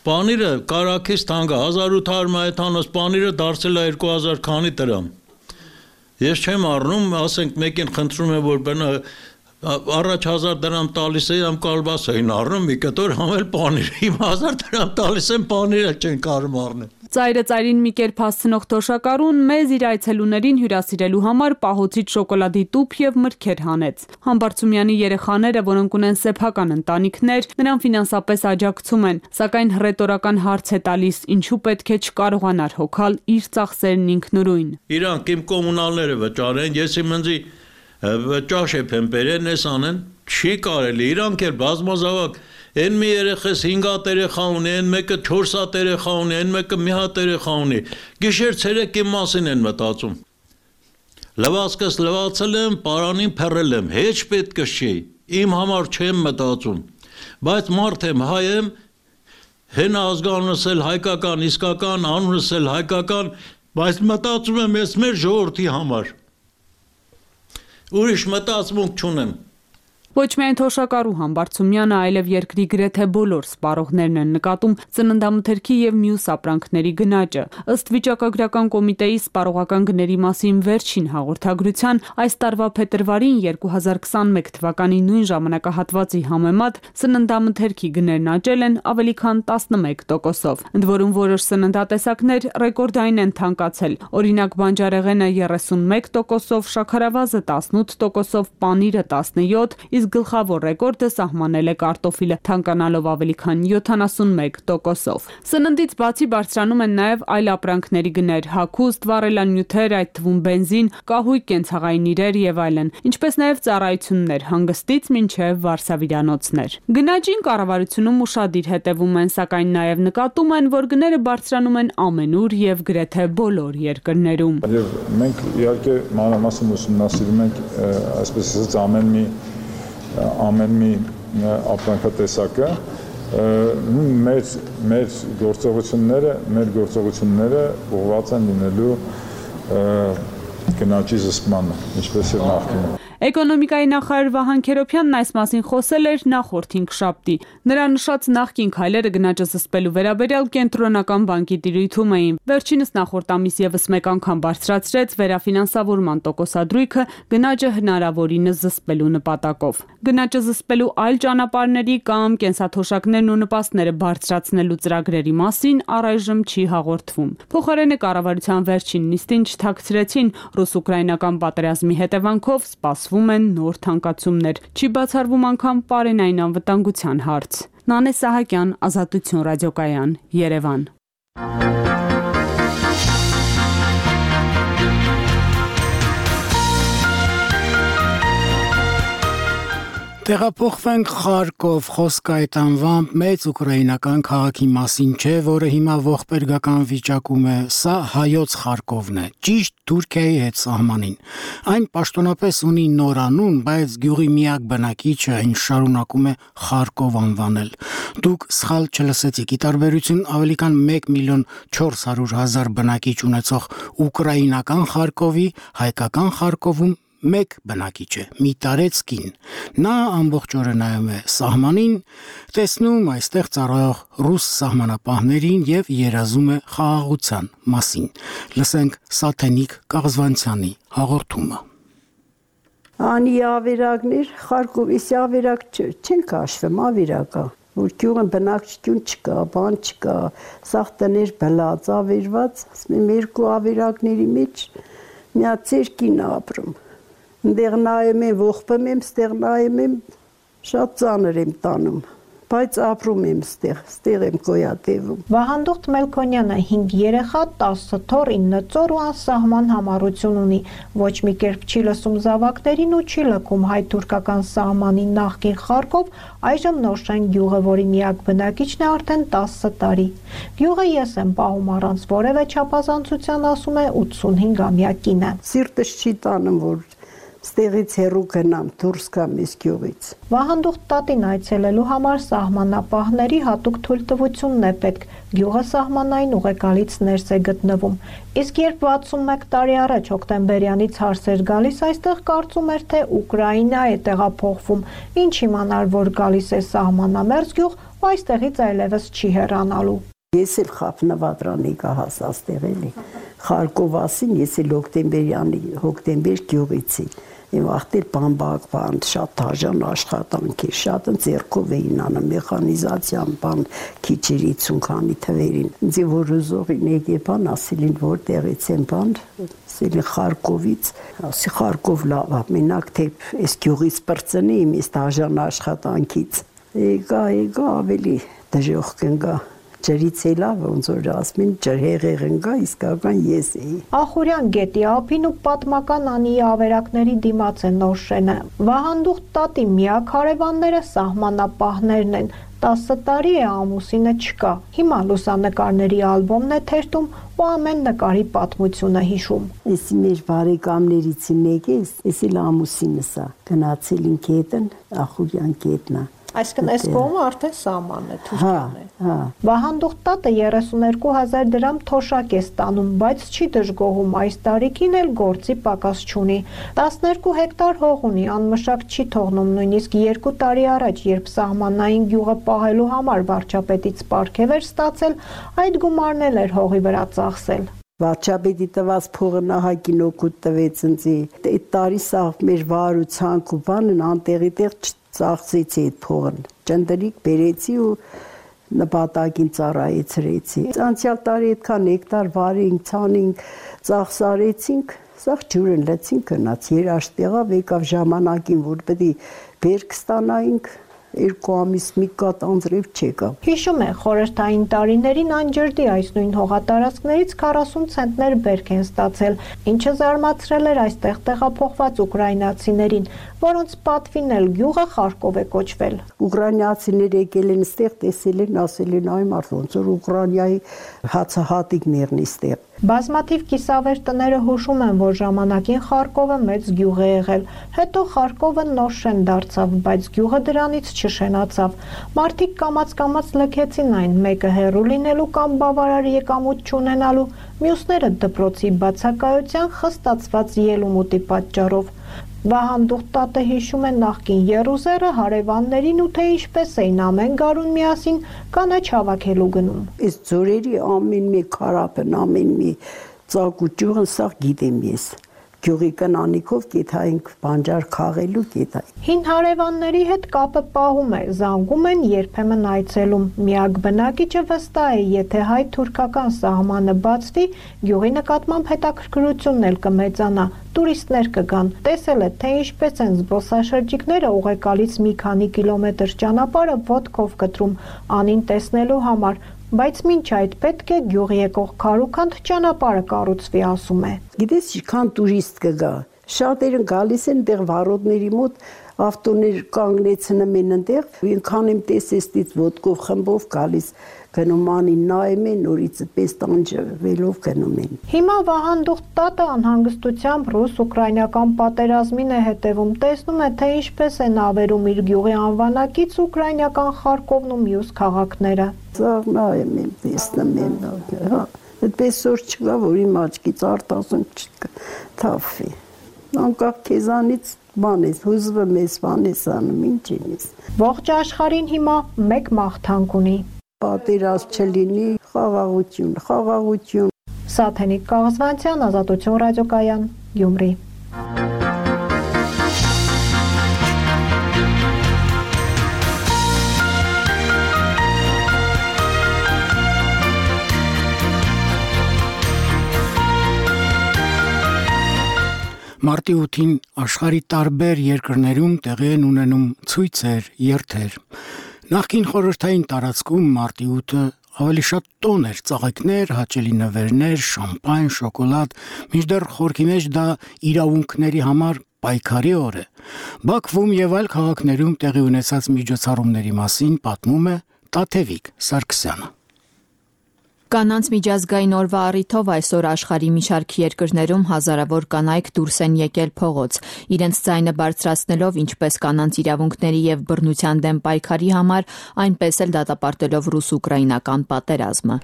Պանիրը կարակից թանգա, հազար ութ հարյուր մայթանոց պանիրը դարձել է երկու հազար քանի դրամ։ Ես չեմ առնում, ասենք մեկին խնդրում եմ, որ բնա առաջ հազար դրամ տալիս է, ամ կալբաս էին առնում, մի կտոր համել պանիր, իմ հազար դրամ տալիս եմ պանիրը չեն կարում առնել։ Ծայրը ծայրին մի կերպ հասցնող թոշակառուն մեզ իր այցելուներին հյուրասիրելու համար պահոցից շոկոլադի տուփ եւ մրգեր հանեց։ Համբարձումյանի երեխաները, որոնք ունեն սեփական ընտանիքներ, նրան ֆինանսապես աջակցում են, սակայն հռետորական հարց է տալիս, ինչու պետք է չկարողանար հոգալ իր ծախսերն ինքնուրույն։ Իրանք իմ կոմունալները վճարեն, ես իմ ընձի ճաշ եմ բերեն, ես անեն, չի կարելի, իրանք էլ բազմազավակ Են մի երեխես հինգ հատ երեխա ունի, են մեկը չորս հատ երեխա ունի, են մեկը մի հատ երեխա ունի։ Գիշեր ցերեկ իմ մասին են մտածում։ Լվացքս լվացել եմ, պարանին փռել եմ, հեչ պետք չի։ Իմ համար չեմ մտածում։ Բայց մարդ եմ, հայ եմ, հեն ազգանունս էլ հայկական, իսկական, անունս էլ հայկական, բայց մտածում եմ ես մեր ժողովրդի համար։ Ուրիշ մտածմունք չունեմ։ Ոչ միայն Թոշակառու Համբարձումյանը, այլև երկրի գրեթե բոլոր սպառողներն են նկատում ծննդամթերքի եւ մյուս ապրանքների գնաճը։ Ըստ վիճակագրական կոմիտեի սպառողական գների մասին վերջին հաղորդագրության, այս տարվա փետրվարին երկու հազար քսանմեկ թվականի նույն ժամանակահատվածի համեմատ ծննդամթերքի գներն աճել են ավելի քան տասնմեկ տոկոսով։ Ընդ որում որոշ սննդատեսակներ ռեկորդային են թանկացել։ Օրինակ բանջարեղենը երեսունմեկ տոկոսով, շաքարավազը տասնութ տոկոսով, պանիրը տասնյոթ, իսկ գլխավոր ռեկորդը սահմանել է կարտոֆիլը, թանկանալով ավելի քան յոթանասունմեկ տոկոսով։ Սննդից բացի բարձրանում են նաև այլ ապրանքների գներ՝ հագուստ, վառելանյութեր, այդ թվում բենզին, կահույք, կենցաղային իրեր եւ այլն, ինչպես նաև ծառայություններ, հանգստից մինչև վարսավիրանոցներ։ Գնաճին կառավարությունում ուշադիր հետևում են, սակայն նաև նկատում են, որ գները բարձրանում են ամենուր եւ գրեթե բոլոր երկրներում։ Եվ մենք իհարկե մանրամասն ուսումնասիրում ենք, այսպես ասած, ամեն մի ամեն մի ապրանքատեսակը, մեր մեր գործողությունները, մեր գործողությունները ուղղված են լինելու գնաճի զսպմանը, ինչպես եւ նախկինում։ Էկոնոմիկայի նախարար Վահան Քերոբյանն այս մասին խոսել էր նախորդ հինգշաբթի։ Նրա նշած նախկին քայլերը գնաճը զսպելու վերաբերյալ կենտրոնական բանկի տիրույթում էին։ Վերջինս նախորդ ամիս եւս մեկ անգամ բարձրացրեց վերաֆինանսավորման տոկոսադրույքը գնաճը հնարավորինս զսպելու նպատակով։ Գնաճը զսպելու այլ ճանապարհների կամ կենսաթոշակներն ու նպաստները բարձրացնելու ծրագրերի մասին առայժմ չի հաղորդվում։ Փոխարենը կառավարության վերջին նիստին չթաքցրեցին ռուս-ուկրաինական պատերազմի հետևանքով սպասվում են նոր թանկացումներ, չի բացառվում անգամ պարենային անվտանգության հարց։ Նանե Սահակյան, Ազատություն ռադիոկայան, Երևան։ Տեղափոխվենք Խարկով, խոսքը այդ անվամբ մեծ ուկրաինական քաղաքի մասին չէ, որը հիմա ողբերգական վիճակում է, սա հայոց Խարկովն է, ճիշտ Թուրքիայի հետ սահմանին։ Այն պաշտոնապես ունի նոր անուն, բայց գյուղի միակ բնակիչը այն շարունակում է Խարկով անվանել։ Դուք սխալ չլսեցիք, ի տարբերություն ավելի քան մեկ միլիոն չորս հարյուր հազար բնակիչ ունեցող ուկրաինական Խարկովի, հայկական Խարկովում մեկ բնակիչ է, մի տարեցկին։ Նա ամբողջ օրը նայում է սահմանին, տեսնում այստեղ ծառայող ռուս սահմանապահներին եւ երազում է խաղաղության մասին։ Լսենք Սաթենիկ Կաղզվանցյանի հաղորդումը։ Անի ավերակներ Խարկովի ավերակ չեն քաշվում, ավերակա։ Որ գյուղը բնակչություն չկա, բան չկա, սաղ տներ բլած, ավերված, ասում երկու ավերակների մեջ միացեր կին ապրում։ Դեղ նայում եմ, ողբում եմ, ստեղ նայում եմ, շատ ծանր եմ տանում, բայց ապրում եմ ստեղ, ստեղ եմ գոյատևում։ Վահանդուխտ Մելքոնյանը հինգ երեխա, տասը թոռ, ինը ծոր ու անսահման համառություն ունի, ոչ մի կերպ չի լսում զավակներին ու չի լքում հայ-թուրքական սահմանի նախկին Խարկով, այժմ Նորշեն գյուղը, որի միակ բնակիչն է արդեն տասը տարի։ Գյուղը ես եմ պահում առանց որևէ չափազանցության, ասում է ութսունհինգամյա կինը։ Սիրտս չի տանում, որ ստեղից հեռու գնամ, դուրս գամ այս գյուղից։ Վահանդուխտ տատին այցելելու համար սահմանապահների հատուկ թույլտվությունն է պետք։ Գյուղը սահմանային ուղեկալից ներս է գտնվում։ Իսկ երբ վաթսունմեկ տարի առաջ հոկտեմբերյանից հարց էր գալիս, այստեղ կարծում էր, թե Ուկրաինա է տեղափոխվում։ Ինչ իմանալ, որ գալիս է սահմանամերձ գյուղ, ու այստեղից այլևս չի հեռանալու։ Ես էլ խափնվադրանի կահասաստեղ էլի, Խարկովասին ես էլ հոկտեմբերյանի, հոկտեմբեր գյուղիցի, եմ աղտեր բամբակ բան, շատ թաժան աշխատանք է, շատ ձերքով էին անում, մեխանիզացիան բան, քիչեր իցուն քանի թվերին, ինձ որ ուզողին եկե բան, ասիլին որ տեղից եմ բան, ասիլին Խարկովից, ասի Խարկով լավ, մենակ թե այս գյուղից պրծնի իմ այս թաժան աշխատանքից, եկա, եկա ավելի դժոխ կնգա։ Ջրից է լավ, ոնց որ ասում են, ջրհեղեղ ընկա, իսկական ես էի։ Ախուրյան գետի ափին ու պատմական Անիի ավերակների դիմաց է Նորշենը։ Վահանդուխտ տատի միակ հարևանները սահմանապահներն են։ տասը տարի է ամուսինը չկա։ Հիմա լուսանկարների ալբոմն է թերթում ու ամեն նկարի պատմությունը հիշում։ Էսի մեր բարեկամներից մեկը, էսի ամուսինս է, գնացել ինք հետն, Ախուրյան գետնա։ Այսինքն այս կողմը արդեն սահմանն է, Թուրքիան է։ Հա։ Վահան Դուխտատը երեսունհինգ հազար դրամ թոշակ է ստանում, բայց չի դժգոհում, այս տարիքին էլ գործի պակաս չունի։ տասներկու հեկտար հող ունի, անմշակ չի թողնում, նույնիսկ երկու տարի առաջ, երբ սահմանային գյուղը պահելու համար վարչապետից պարգև էր ստացել, այդ գումարն էլ էր հողի վրա ծախսել։ Վարչապետի տված փողը նահագին օգուտ տվեց ինձ։ Այդ տարի սա մեր վարուցանք ու բանն անտեղի տեղ ծախսեցի այդ փողն։ Ճնդրիկ բերեցի ու նպատակին ծառայեցրեցի։ Անցյալ տարի այդքան հեկտար վարինք, ցանինք, ծախսարեցինք, սա ջուրն լեցին գնաց, երաշտեղավ եկավ ժամանակին, որ պետք է բերք ստանայինք, երկու ամիս մի կատ անձրև չեկավ։ Հիշում է, խորհրդային տարիներին անջրդի այս նույն հողատարածքներից քառասուն ցենտներ բերք են ստացել, ինչը զարմացրել էր այստեղ տեղափոխված ուկրաինացիներին, որոնց պատվին էլ գյուղը Խարկով է կոչվել։ Ուկրաինացիները եկել են ստեղ, տեսել են, ասել են այ մարդ ոնց որ Ուկրաինայի հացահատիկներն ստեղ։ Բազմաթիվ կիսավեր տները հուշում են, որ ժամանակին Խարկովը մեծ գյուղ է եղել, հետո Խարկովը նոր շեն դարձավ, բայց գյուղը դրանից չշենացավ։ Մարդիկ կամաց-կամաց լքեցին այն, մեկը հեռու լինելու կամ բավարար եկամուտ չունենալու, մյուսները դպրոցի բացակայության խստացված ելումուտի պատճառով։ Վահան Դուխտատը հիշում է նախկին եռուզեռը հարևաններին ու թե ինչպես էին ամեն գարուն միասին կանաչ հավաքելու գնում։ Այս ձորերի ամեն մի քարապն, ամեն մի ծակ ու ճյուղն սա գիտեմ ես։ Գյուղի կնանիքով գետայինք բանջար քաղելու գետայինք։ Հին հարևանների հետ կապը պահում է, զանգում են, երբեմն այցելում։ Միակ բնակիչը վստահ է, եթե հայ-թուրքական սահմանը բացվի, գյուղի նկատմամբ հետաքրքրությունն էլ կմեծանա, տուրիստներ կգան։ Տեսել է, թե ինչպես են զբոսաշրջիկները ուղեկալից մի քանի կիլոմետր ճանապարհը ոտքով կտրում, անին տեսնելու համար, բայց մինչ այդ պետք է գյուղի եկող քարուքանդ ճանապարհը կառուցվի, ասում է։ Գիտես, ինչքան տուրիստ կգա։ Շատերը գալիս են դեռ վարորդների մոտ, ավտոներ կանգնեցնում են այնտեղ, ինքան եմ տեսեստից ոտքով խմբով գալիս, գնում անին նայում են, նորից պես տանջվելով գնում են։ Հիմա Վահան Դուխտատը անհանգստությամբ ռուս-ուկրաինական պատերազմին է հետևում, տեսնում է, թե ինչպես են ավերում իր գյուղի անվանակից ուկրաինական Խարկովն ու մյուս քաղաքները։ Սաղ նայում եմ, տեսնում եմ, հա, այդպես որ չկա, որ իմ աչքից արտասում չթափվի։ Անկախ քեզանից բան ես, հուզվում ես, բան ես անում, ինչ ինես։ Ողջ աշխարհին հիմա մեկ մաղթանք ունի։ Պատերազմ չլինի, խաղաղություն, խաղաղություն։ Սաթենիկ Կաղզվանցյան, Ազատություն ռադիոկայան, Գյումրի։ Մարտի ութին աշխարհի տարբեր երկրներում տեղի են ունենում ցույցեր, երթեր։ Նախկին խորհրդային տարածքում մարտի ութը ավելի շատ տոն էր, ծաղիկներ, հաճելի նվերներ, շամպայն, շոկոլադ, մինչդեռ խորքի մեջ դա իրավունքների համար պայքարի օր է։ Բաքվում եւ այլ քաղաքներում տեղի ունեցած միջոցառումների մասին պատմում է Տաթևիկ Սարգսյանը։ Կանանց միջազգային օրվա առիթով այսօր աշխարհի մի շարք երկրներում հազարավոր կանայք դուրս են եկել փողոց, իրենց ձայնը բարձրացնելով ինչպես կանանց իրավունքների եւ բռնության դեմ պայքարի համար, այնպես էլ դատապարտելով ռուս-ուկրաինական պատերազմը։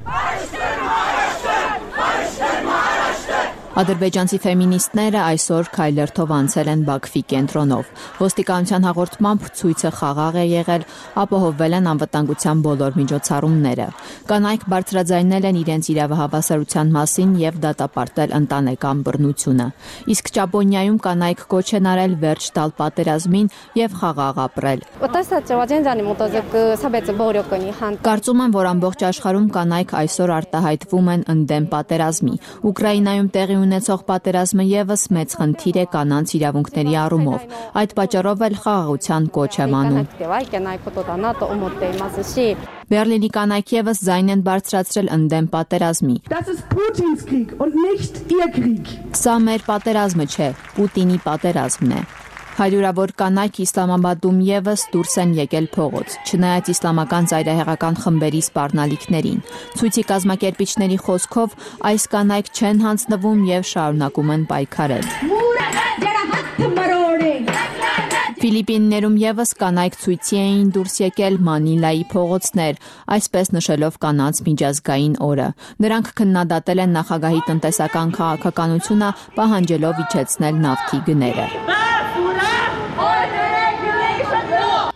Ադրբեջանցի ֆեմինիստները այսօր քայլերթով անցել են Բաքվի կենտրոնով։ Ոստիկանության հաղորդմամբ ցույցը խաղաղ է եղել, ապահովվել են անվտանգության բոլոր միջոցառումները։ Կանայք բարձրաձայնել են իրենց իրավահավասարության մասին եւ դատապարտել ընտանեկան բռնությունը։ Իսկ Ճապոնիայում կանայք կոչ են արել վերջ տալ պատերազմին եւ խաղաղ ապրել։ Կարծում եմ, որ ամբողջ աշխարհում կանայք այսօր արտահայտվում են ընդդեմ պատերազմի։ Ուկրաինայում տեղի ունեցող պատերազմը եւս մեծ խնդիր է կանանց իրավունքների առումով։ Այդ պատճառով էլ խաղաղության կոչ եմ անում։ Բերլինի կանայք եւս ձայն են բարձրացրել ընդդեմ պատերազմի։ Սա մեր պատերազմը չէ, Պուտինի պատերազմն է։ Հարյուրավոր կանայք Իսլամաբադում եւս դուրս են եկել փողոց, չնայած իսլամական ծայրահեղական խմբերի սպառնալիքներին։ Ցույցի կազմակերպիչների խոսքով այս կանայք չեն հանձնվում եւ շարունակում են պայքարել։ Ֆիլիպիններում եւս կանայք ցույցի էին դուրս եկել Մանիլայի փողոցներ, այսպես նշելով կանանց միջազգային օրը։ Նրանք քննադատել են նախագահի տնտեսական քաղաքականությունը, պահանջելով իջեցնել նավթի գները։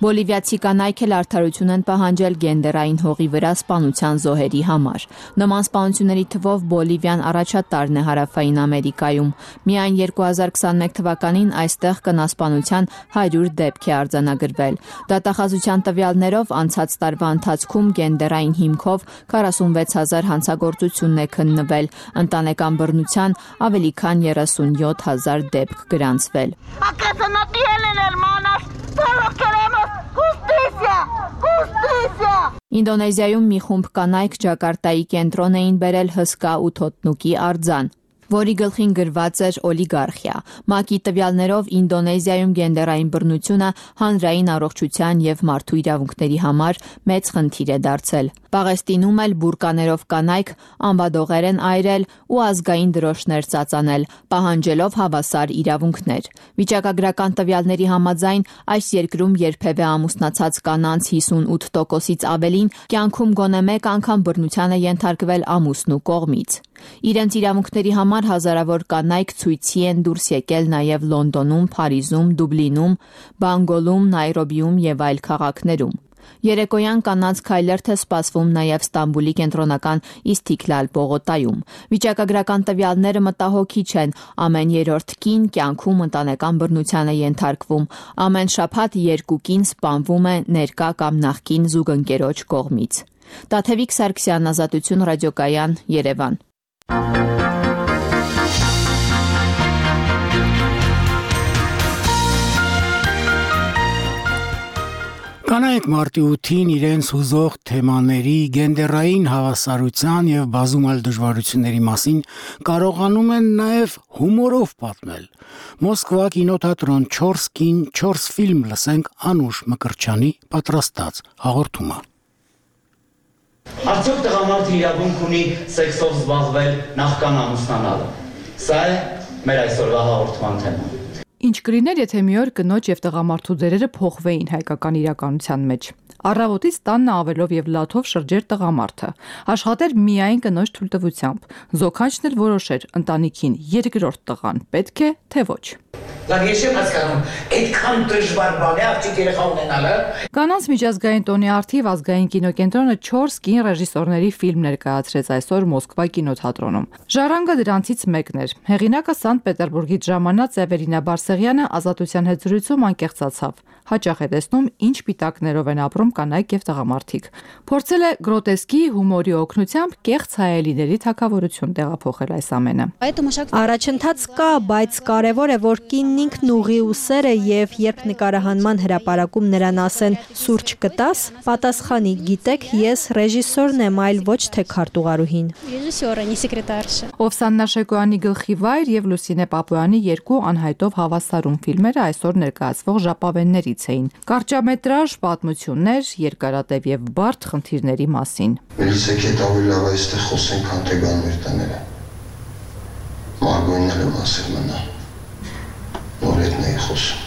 Բոլիվիացի կանայք էլ արդարություն են պահանջել գենդերային հողի վրա սպանության զոհերի համար։ Նման սպանությունների թվով Բոլիվիան առաջատարն է Հարավային Ամերիկայում։ Միայն երկու հազար քսաներեք թվականին այստեղ կնասպանության հարյուր դեպք է արձանագրվել։ Դատախազության տվյալներով անցած տարվա ընթացքում գենդերային հիմքով քառասունվեց հազար հանցագործություն է քննվել, ընտանեկան բռնության ավելի քան երեսունյոթ հազար դեպք գրանցվել։ Ինդոնեզիայում մի խումբ կանայք Ջակարտայի կենտրոն էին բերել հսկա ու թոթնուկի արձան, որի գլխին գրված էր օլիգարխիա։ ՄԱԿ-ի տվյալներով Ինդոնեզիայում գենդերային բռնությունը հանրային առողջության եւ մարդու իրավունքների համար մեծ խնդիր է դարձել։ Պաղեստինում էլ բուրկաներով կանայք ամբադողեր են այրել ու ազգային դրոշներ ծածանել, պահանջելով հավասար իրավունքներ։ Վիճակագրական տվյալների համաձայն այս երկրում երբևէ ամուսնացած կանանց հիսունութ տոկոսից ավելին կյանքում գոնե մեկ անգամ բռնության է ենթարկվել ամուսնու կողմից։ Իրենց իրավունքների համար հազարավոր կանայք ցույցի են դուրս եկել նաև Լոնդոնում, Փարիզում, Դուբլինում, Բանգոլում, Նայրոբիում եւ այլ քաղաքներում։ Երեկոյան կանանց քայլերթ է սպասվում նաև Ստամբուլի կենտրոնական Իսթիքլալ պողոտայում։ Վիճակագրական տվյալները մտահոգիչ են։ Ամեն երրորդ կին կյանքում ընտանեկան բռնության է ենթարկվում։ Ամեն շաբաթ երկու կին սպանվում է ներկա կամ նախկին զուգընկերոջ կողմից։ Տաթևիկ Սարգսյան, Ազատություն ռադիոկայան, Երևան։ Կանայք մարտի ութին իրենց հուզող թեմաների, գենդերային հավասարության եւ բազում այլ դժվարությունների մասին կարողանում են նաեւ հումորով պատմել։ Մոսկվա կինոթատրոն չորս կին չորս ֆիլմ լսենք Անուշ Մկրտչյանի պատրաստած հաղորդումը։ Արդյոք տղամարդը իրավունք ունի սեքսով զբաղվել նախքան ամուսնանալը։ Սա է մեր այսօրվա հաղորդման թեման։ Ինչ կլիներ, եթե մի օր կնոջ եւ տղամարդու դերերը փոխվեին հայկական իրականության մեջ։ Առավոտից տանն ավելով եւ լաթով շրջեր տղամարդը, աշխատեր միայն կնոջ թույլտվությամբ, զոքանչն էլ որոշեր ընտանիքին երկրորդ տղան պետք է, թե ոչ։ Լավ, ես չեմ հասկանում, այդքան դժվար բան է աղջիկ երեխա ունենալը։ Կանանց միջազգային տոնի առթիվ ազգային կինոկենտրոնը չորս կին ռեժիսորների ֆիլմ ներկայացրեց այսօր Մոսկվա կինոթատրոնում։ Ժառանգը դրանցից մեկն էր։ Հեղինակը Սանտ Պետերբուրգից ժամանած Էվելինա Բարսեղյանը Ազատության հետ զրույցում անկեղծացավ։ Հաճախ է տեսնում, ինչ պիտակներով են ապրում կանայք եւ տղամարդիկ։ Փորձել է գրոտեսկի հումորի օգնությամբ կեղծ հայելիների թագավորություն տեղափոխել այս ամենը։ Առաջընթաց կա, բայց կարևոր է, որ կինն ինքն ուղի ու սերը եւ երբ նկարահանման հրապարակում նրան ասեն «Սուրճ կտաս», պատասխանի «Գիտեք, ես ռեժիսորն եմ, այլ ոչ թե քարտուղարուհին»։ Օվսաննա Շեկոյանի գլխի վայր եւ Լուսինե Պապոյանի երկու անհայտով հավասարում ֆիլմերը այսօր ներկայացվող ժապավեններից էին։ Կարճամետրաժ պատմություններ, երկարատև եւ բարդ խնդիրների մասին։ Մելիսեք հետ ավելի լավ այստեղ խոսենք, քան թե գան մեր տները։ Մարգոյնն էլ եմ ասել մնա։ Նոր հետն էի խոսում։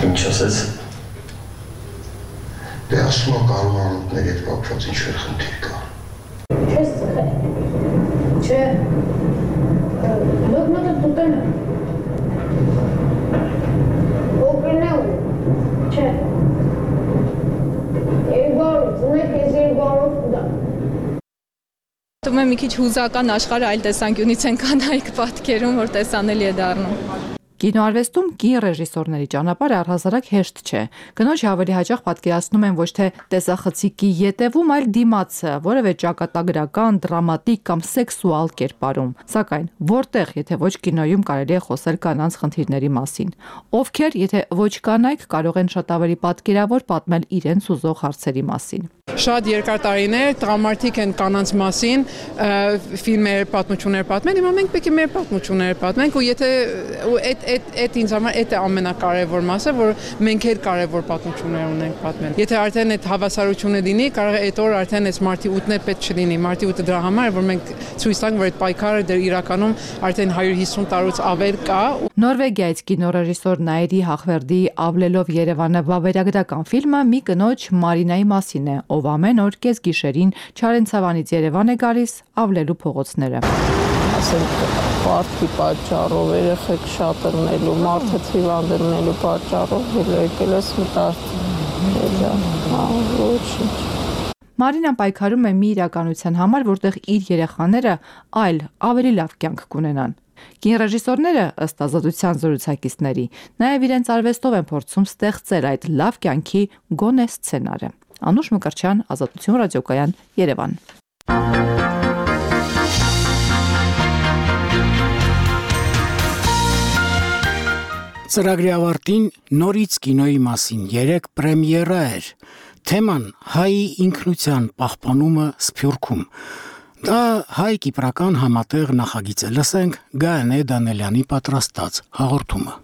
Ինչ ասեց։ Դե ասում եմ կարող անուտների հետ կապված ինչ-որ խնդիր կա։ Չես ծխել։ Չէ։ Լոգնոտը տուտեն է։ Օգրն է ու։ Չէ։ Երգարով, ունեք ես երգարով ուդա։ Թվում է մի քիչ հուզական աշխարհը այլ տեսանկյունից են կանայք պատկերում, որ տեսանելի է դառնում։ Կինոարվեստում կին ռեժիսորների ճանապարհը առհասարակ հեշտ չէ։ Կնոջ ավելի հաճախ պատկերացնում են ոչ թե տեսախցիկի ետևում, այլ դիմացը, որևէ ճակատագրական, դրամատիկ կամ սեքսուալ կերպարում։ Սակայն որտեղ, եթե ոչ կինոյում կարելի է խոսել կանանց խնդիրների մասին։ Ովքեր, եթե ոչ կանայք, կարող են շատ ավելի պատկերավոր պատմել իրենց ուզող հարցերի մասին։ Շատ երկար տարիներ տղամարդիկ են կանանց մասին ֆիլմեր, պատմություններ պատմեն, հիմա մենք պետք է մեր պատմությունները պատմենք ու եթե այդ այդ այդ ինձ համար այդ է ամենակարևոր մասը, որ մենք էլ կարևոր պատմություններ ունենք պատմել։ Եթե արդեն այդ հավասարությունը լինի, կարող է այդ օր արդեն այս մարտի ութն էլ պետք չլինի։ Մարտի ութը դրա համար է, որ մենք ցույց տանք, որ այդ պայքարը դեռ իրականում արդեն հարյուր հիսուն տարուց ավել կա։ Նորվեգիայից կինոռեժիսոր Նաիրի Հախվերդի «Ավլելով Երևանը» վավերագրական ֆիլմը մի կնոջ Մարինայի մասին է, ով ամեն օր կեսգիշերին Չարենցավանից Երևան է գալիս ավլելու փողոցները։ Ասենք պարտքի պատճառով, երեխեք շատ ըրնելու, մարդը հիվանդելու պատճառով եկել ես մտարդ։ Ոչինչ։ Մարինան պայքարում է մի իրականության համար, որտեղ իր երեխաները այլ ավելի լավ կյանք կունենան։ Կինոռեժիսորները, ըստ ազատության զրուցակիցների, նաև իրենց արվեստով են փորձում ստեղծել այդ լավ կյանքի գոնե սցենարը։ Անուշ Մկրտչյան, Ազատություն ռադիոկայան, Երևան։ Ծրագրի ավարտին նորից կինոյի մասին երեք պրեմիերա էր։ Թեման հայի ինքնության պահպանումը Սփյուռքում։ Դա հայ-կիպրական համատեղ նախագիծ է։ Լսենք Գայանե Դանելյանի պատրաստած հաղորդումը։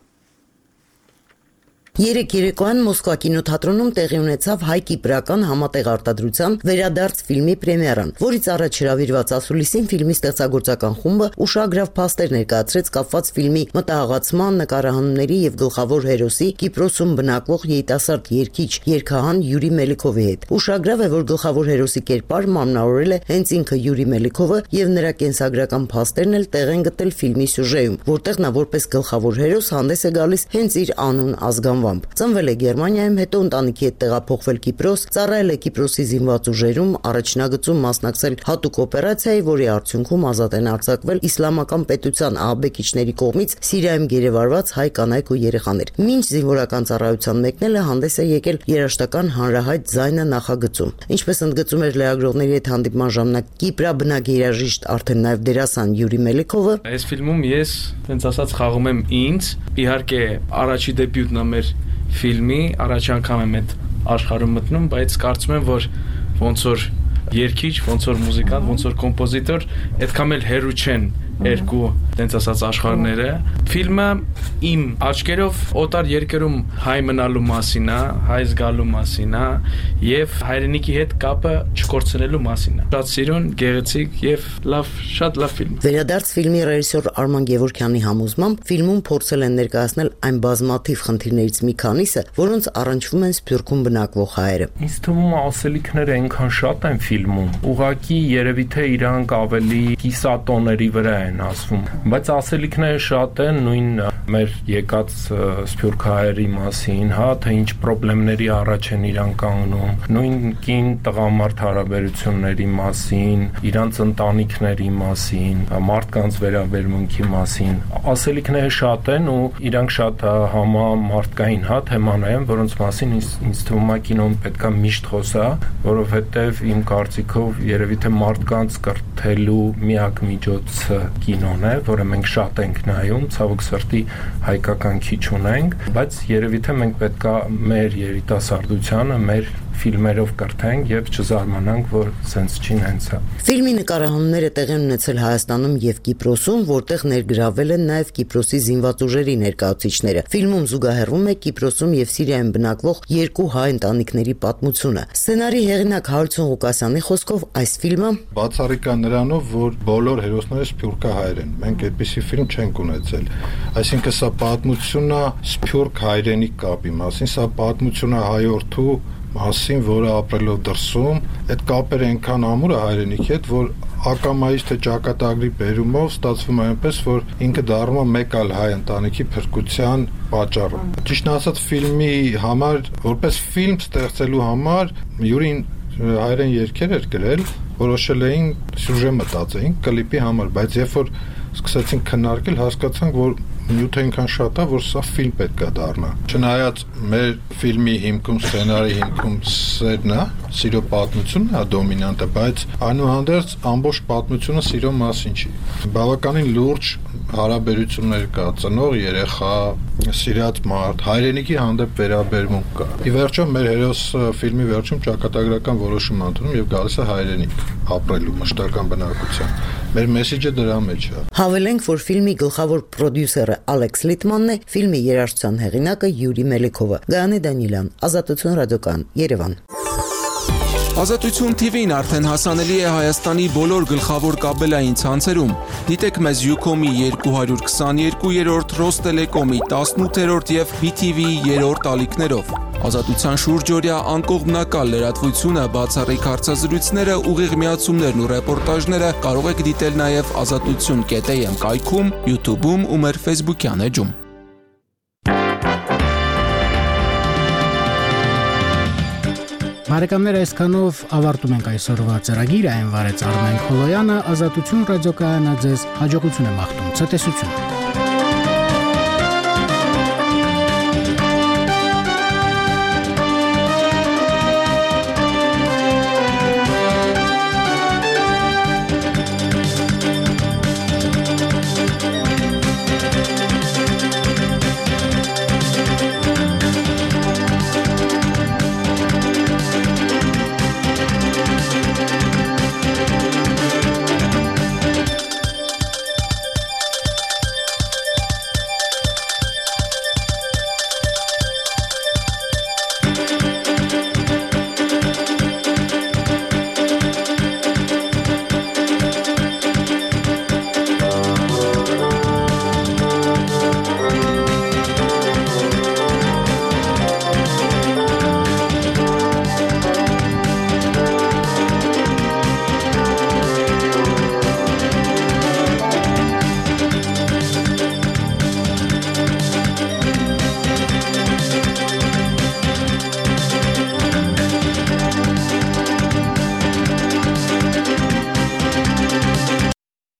Երեք երեկոյան Մոսկվա կինոթատրոնում տեղի ունեցավ հայ-կիպրական համատեղ արտադրության վերադարձ ֆիլմի պրեմիերան, որից առաջ հրավիրված ասուլիսին ֆիլմի ստեղծագործական խումբը ուշագրավ փաստեր ներկայացրեց կապված ֆիլմի մտահղացման, նկարահանումների եւ գլխավոր հերոսի Կիպրոսում բնակվող երիտասարդ երգիչ երգահան Յուրի Մելիքովի հետ։ Ուշագրավ է, որ գլխավոր հերոսի կերպարը մարմնավորել է հենց ինքը Յուրի Մելիքովը եւ նրա կենսագրական փաստերն էլ տեղ են գտել ֆիլմի սյուժեում, որտեղ նա որպես գլխավոր հերոս հանդես է գալիս հենց իր անուն ազգանվամբ։ Ծնվել է Գերմանիայում, հետո ընտանիքի հետ տեղափոխվել Կիպրոս, ծառայել է Կիպրոսի զինված ուժերում, առաջնագծում մասնակցել հատուկ օպերացիայի, որի արդյունքում ազատ են արձակվել իսլամական պետության ահաբեկիչների կողմից Սիրիայում գերեվարված հայ կանայք ու երեխաներ։ Մինչ զինվորական ծառայության մեկնելը հանդես է եկել երաժշտական հանրահայտ ձայնը նախագծում։ Ինչպես ընդգծում էր լրագրողների հետ հանդիպման ժամանակ Կիպրաբնակ երաժիշտ, արդեն նաև դերասան Յուրի Մելիքովը, այս ֆիլմում ես տենց ասած խաղում եմ ինձ, իհարկե առաջի դեբյուտն է մեր ֆիլմի, առաջ անգամ եմ այդ աշխարհում մտնում, բայց կարծում եմ, որ ոնց որ երգիչ, ոնց որ մուզիկանտ, ոնց որ կոմպոզիտոր, այդքան էլ հեռու չեն երկու տենց ասած աշխարհները։ Ֆիլմը իմ աչքերով օտար երկրում հայ մնալու մասին է, հայ զգալու մասին է եւ հայրենիքի հետ կապը չկորցնելու մասին է։ Շատ սիրուն, գեղեցիկ եւ լավ, շատ լավ ֆիլմ։ Վերադարձ ֆիլմի ռեժիսոր Արման Գևորգյանի համոզմամբ ֆիլմում փորձել են ներկայացնել այն բազմաթիվ խնդիրներից մի քանիսը, որոնց առնչվում են Սփյուռքում բնակվող հայերը։ Ինձ թվում է ասելիքները այնքան շատ են ֆիլմում, ուղղակի երևի թե իրանք ավելի կիսատոների վրա են ասվում, բայց ասելիքները շատ են նույն մեր եկած սփյուռք հայերի մասին, հա, թե ինչ խնդիրների առաջ են իրանք կանգնում, նույն կին տղամարդ հարաբերությունների մասին, իրանց ընտանիքների մասին, մարդկանց վերաբերմունքի մասին։ Ասելիքները շատ են ու իրանք շատ համամարտկային, հա, թեմաներ են, որոնց մասին ինձ, ինձ թվում է կինոն պետքա միշտ խոսա, որովհետև իմ կարծիքով երևի թե մարդկանց կրթելու միակ միջոցը կինոն է, որը մենք շատ ենք նայում, ցավոք սրտի հայկական քիչ ունենք, բայց երևի թե մենք պետքա մեր երիտասարդությանը, մեր ֆիլմերով կրթենք եւ չզարմանանք, որ սենց չի հենց է։ Ֆիլմի նկարահանումները տեղի են ունեցել Հայաստանում եւ Կիպրոսում, որտեղ ներգրավել են նաեւ Կիպրոսի զինված ուժերի ներկայացուցիչները։ Ֆիլմում զուգահեռվում է Կիպրոսում եւ Սիրիայում բնակվող երկու հայ ընտանիքների պատմությունը։ Սցենարի հեղինակ Հարություն Ղուկասյանի խոսքով այս ֆիլմը բացառիկ է նրանով, որ բոլոր հերոսները սփյուռքահայեր են։ Մենք այդպիսի ֆիլմ չենք ունեցել։ Այսինքն սա պատմություն է սփյուռք հայրենիք կապի մասին, սա պատմություն է հայորդու մասին, որը ապրելով դրսում, այդ կապերը այնքան ամուր է հայրենիքի հետ, որ ակամայից թե ճակատագրի բերումով ստացվում է այնպես, որ ինքը դառնում է մեկ այլ հայ ընտանիքի փրկության պատճառը։ Ճիշտն ասած, ֆիլմի համար, որպես ֆիլմ ստեղծելու համար Յուրին հայերեն երգեր էր գրել, որոշել էին սյուժե մտածեին կլիպի համար, բայց երբ որ սկսեցինք քննարկել, հասկացանք, որ նյութը այնքան շատ է, որ սա ֆիլմ պետք է դառնա։ Չնայած մեր ֆիլմի հիմքում, սցենարի հիմքում սերն է, սիրո պատմությունն է դոմինանտը, բայց այնուհանդերձ ամբողջ պատմությունը սիրո մասին չի։ Բավականին լուրջ հարաբերություններ կա, ծնող երեխա, սիրած մարդ, հայրենիքի հանդեպ վերաբերմունք կա։ Ի վերջո մեր հերոսը ֆիլմի վերջում ճակատագրական որոշում ընդունում եւ գալիս է հայրենիք ապրելու մշտական բնակության։ Մեր մեսեջը դրա մեջ է։ Հավելենք, որ ֆիլմի գլխավոր պրոդյուսերը Ալեքս Լիտմանն է, ֆիլմի երաժշտության հեղինակը Յուրի Մելիքովը։ Գայանե Դանիելյան, Ազատություն ռադիոկայան, Երևան։ Ազատություն թի վին արդեն հասանելի է Հայաստանի բոլոր գլխավոր կաբելային ցանցերում։ Դիտեք մեզ Յուքոմի երկու հարյուր քսաներկուերորդ, Ռոստելեկոմի տասնութերորդ եւ բի թի վի երրորդ ալիքներով։ Ազատության շուրջօրյա անկողմնակալ լրատվությունը, բացառիկ հարցազրույցները, ուղիղ միացումներն ու ռեպորտաժները կարող եք դիտել նաև ազատություն կետ էյ էմ կայքում, YouTube-ում ու մեր Facebook-յան էջում։ Բարեկամներ, այսքանով ավարտում ենք այսօրվա ծրագիրը, այն վարեց Արմեն Քոլոյանը, Ազատություն ռադիոկայանը ձեզ հաջողություն է մաղթում, ցտեսություն։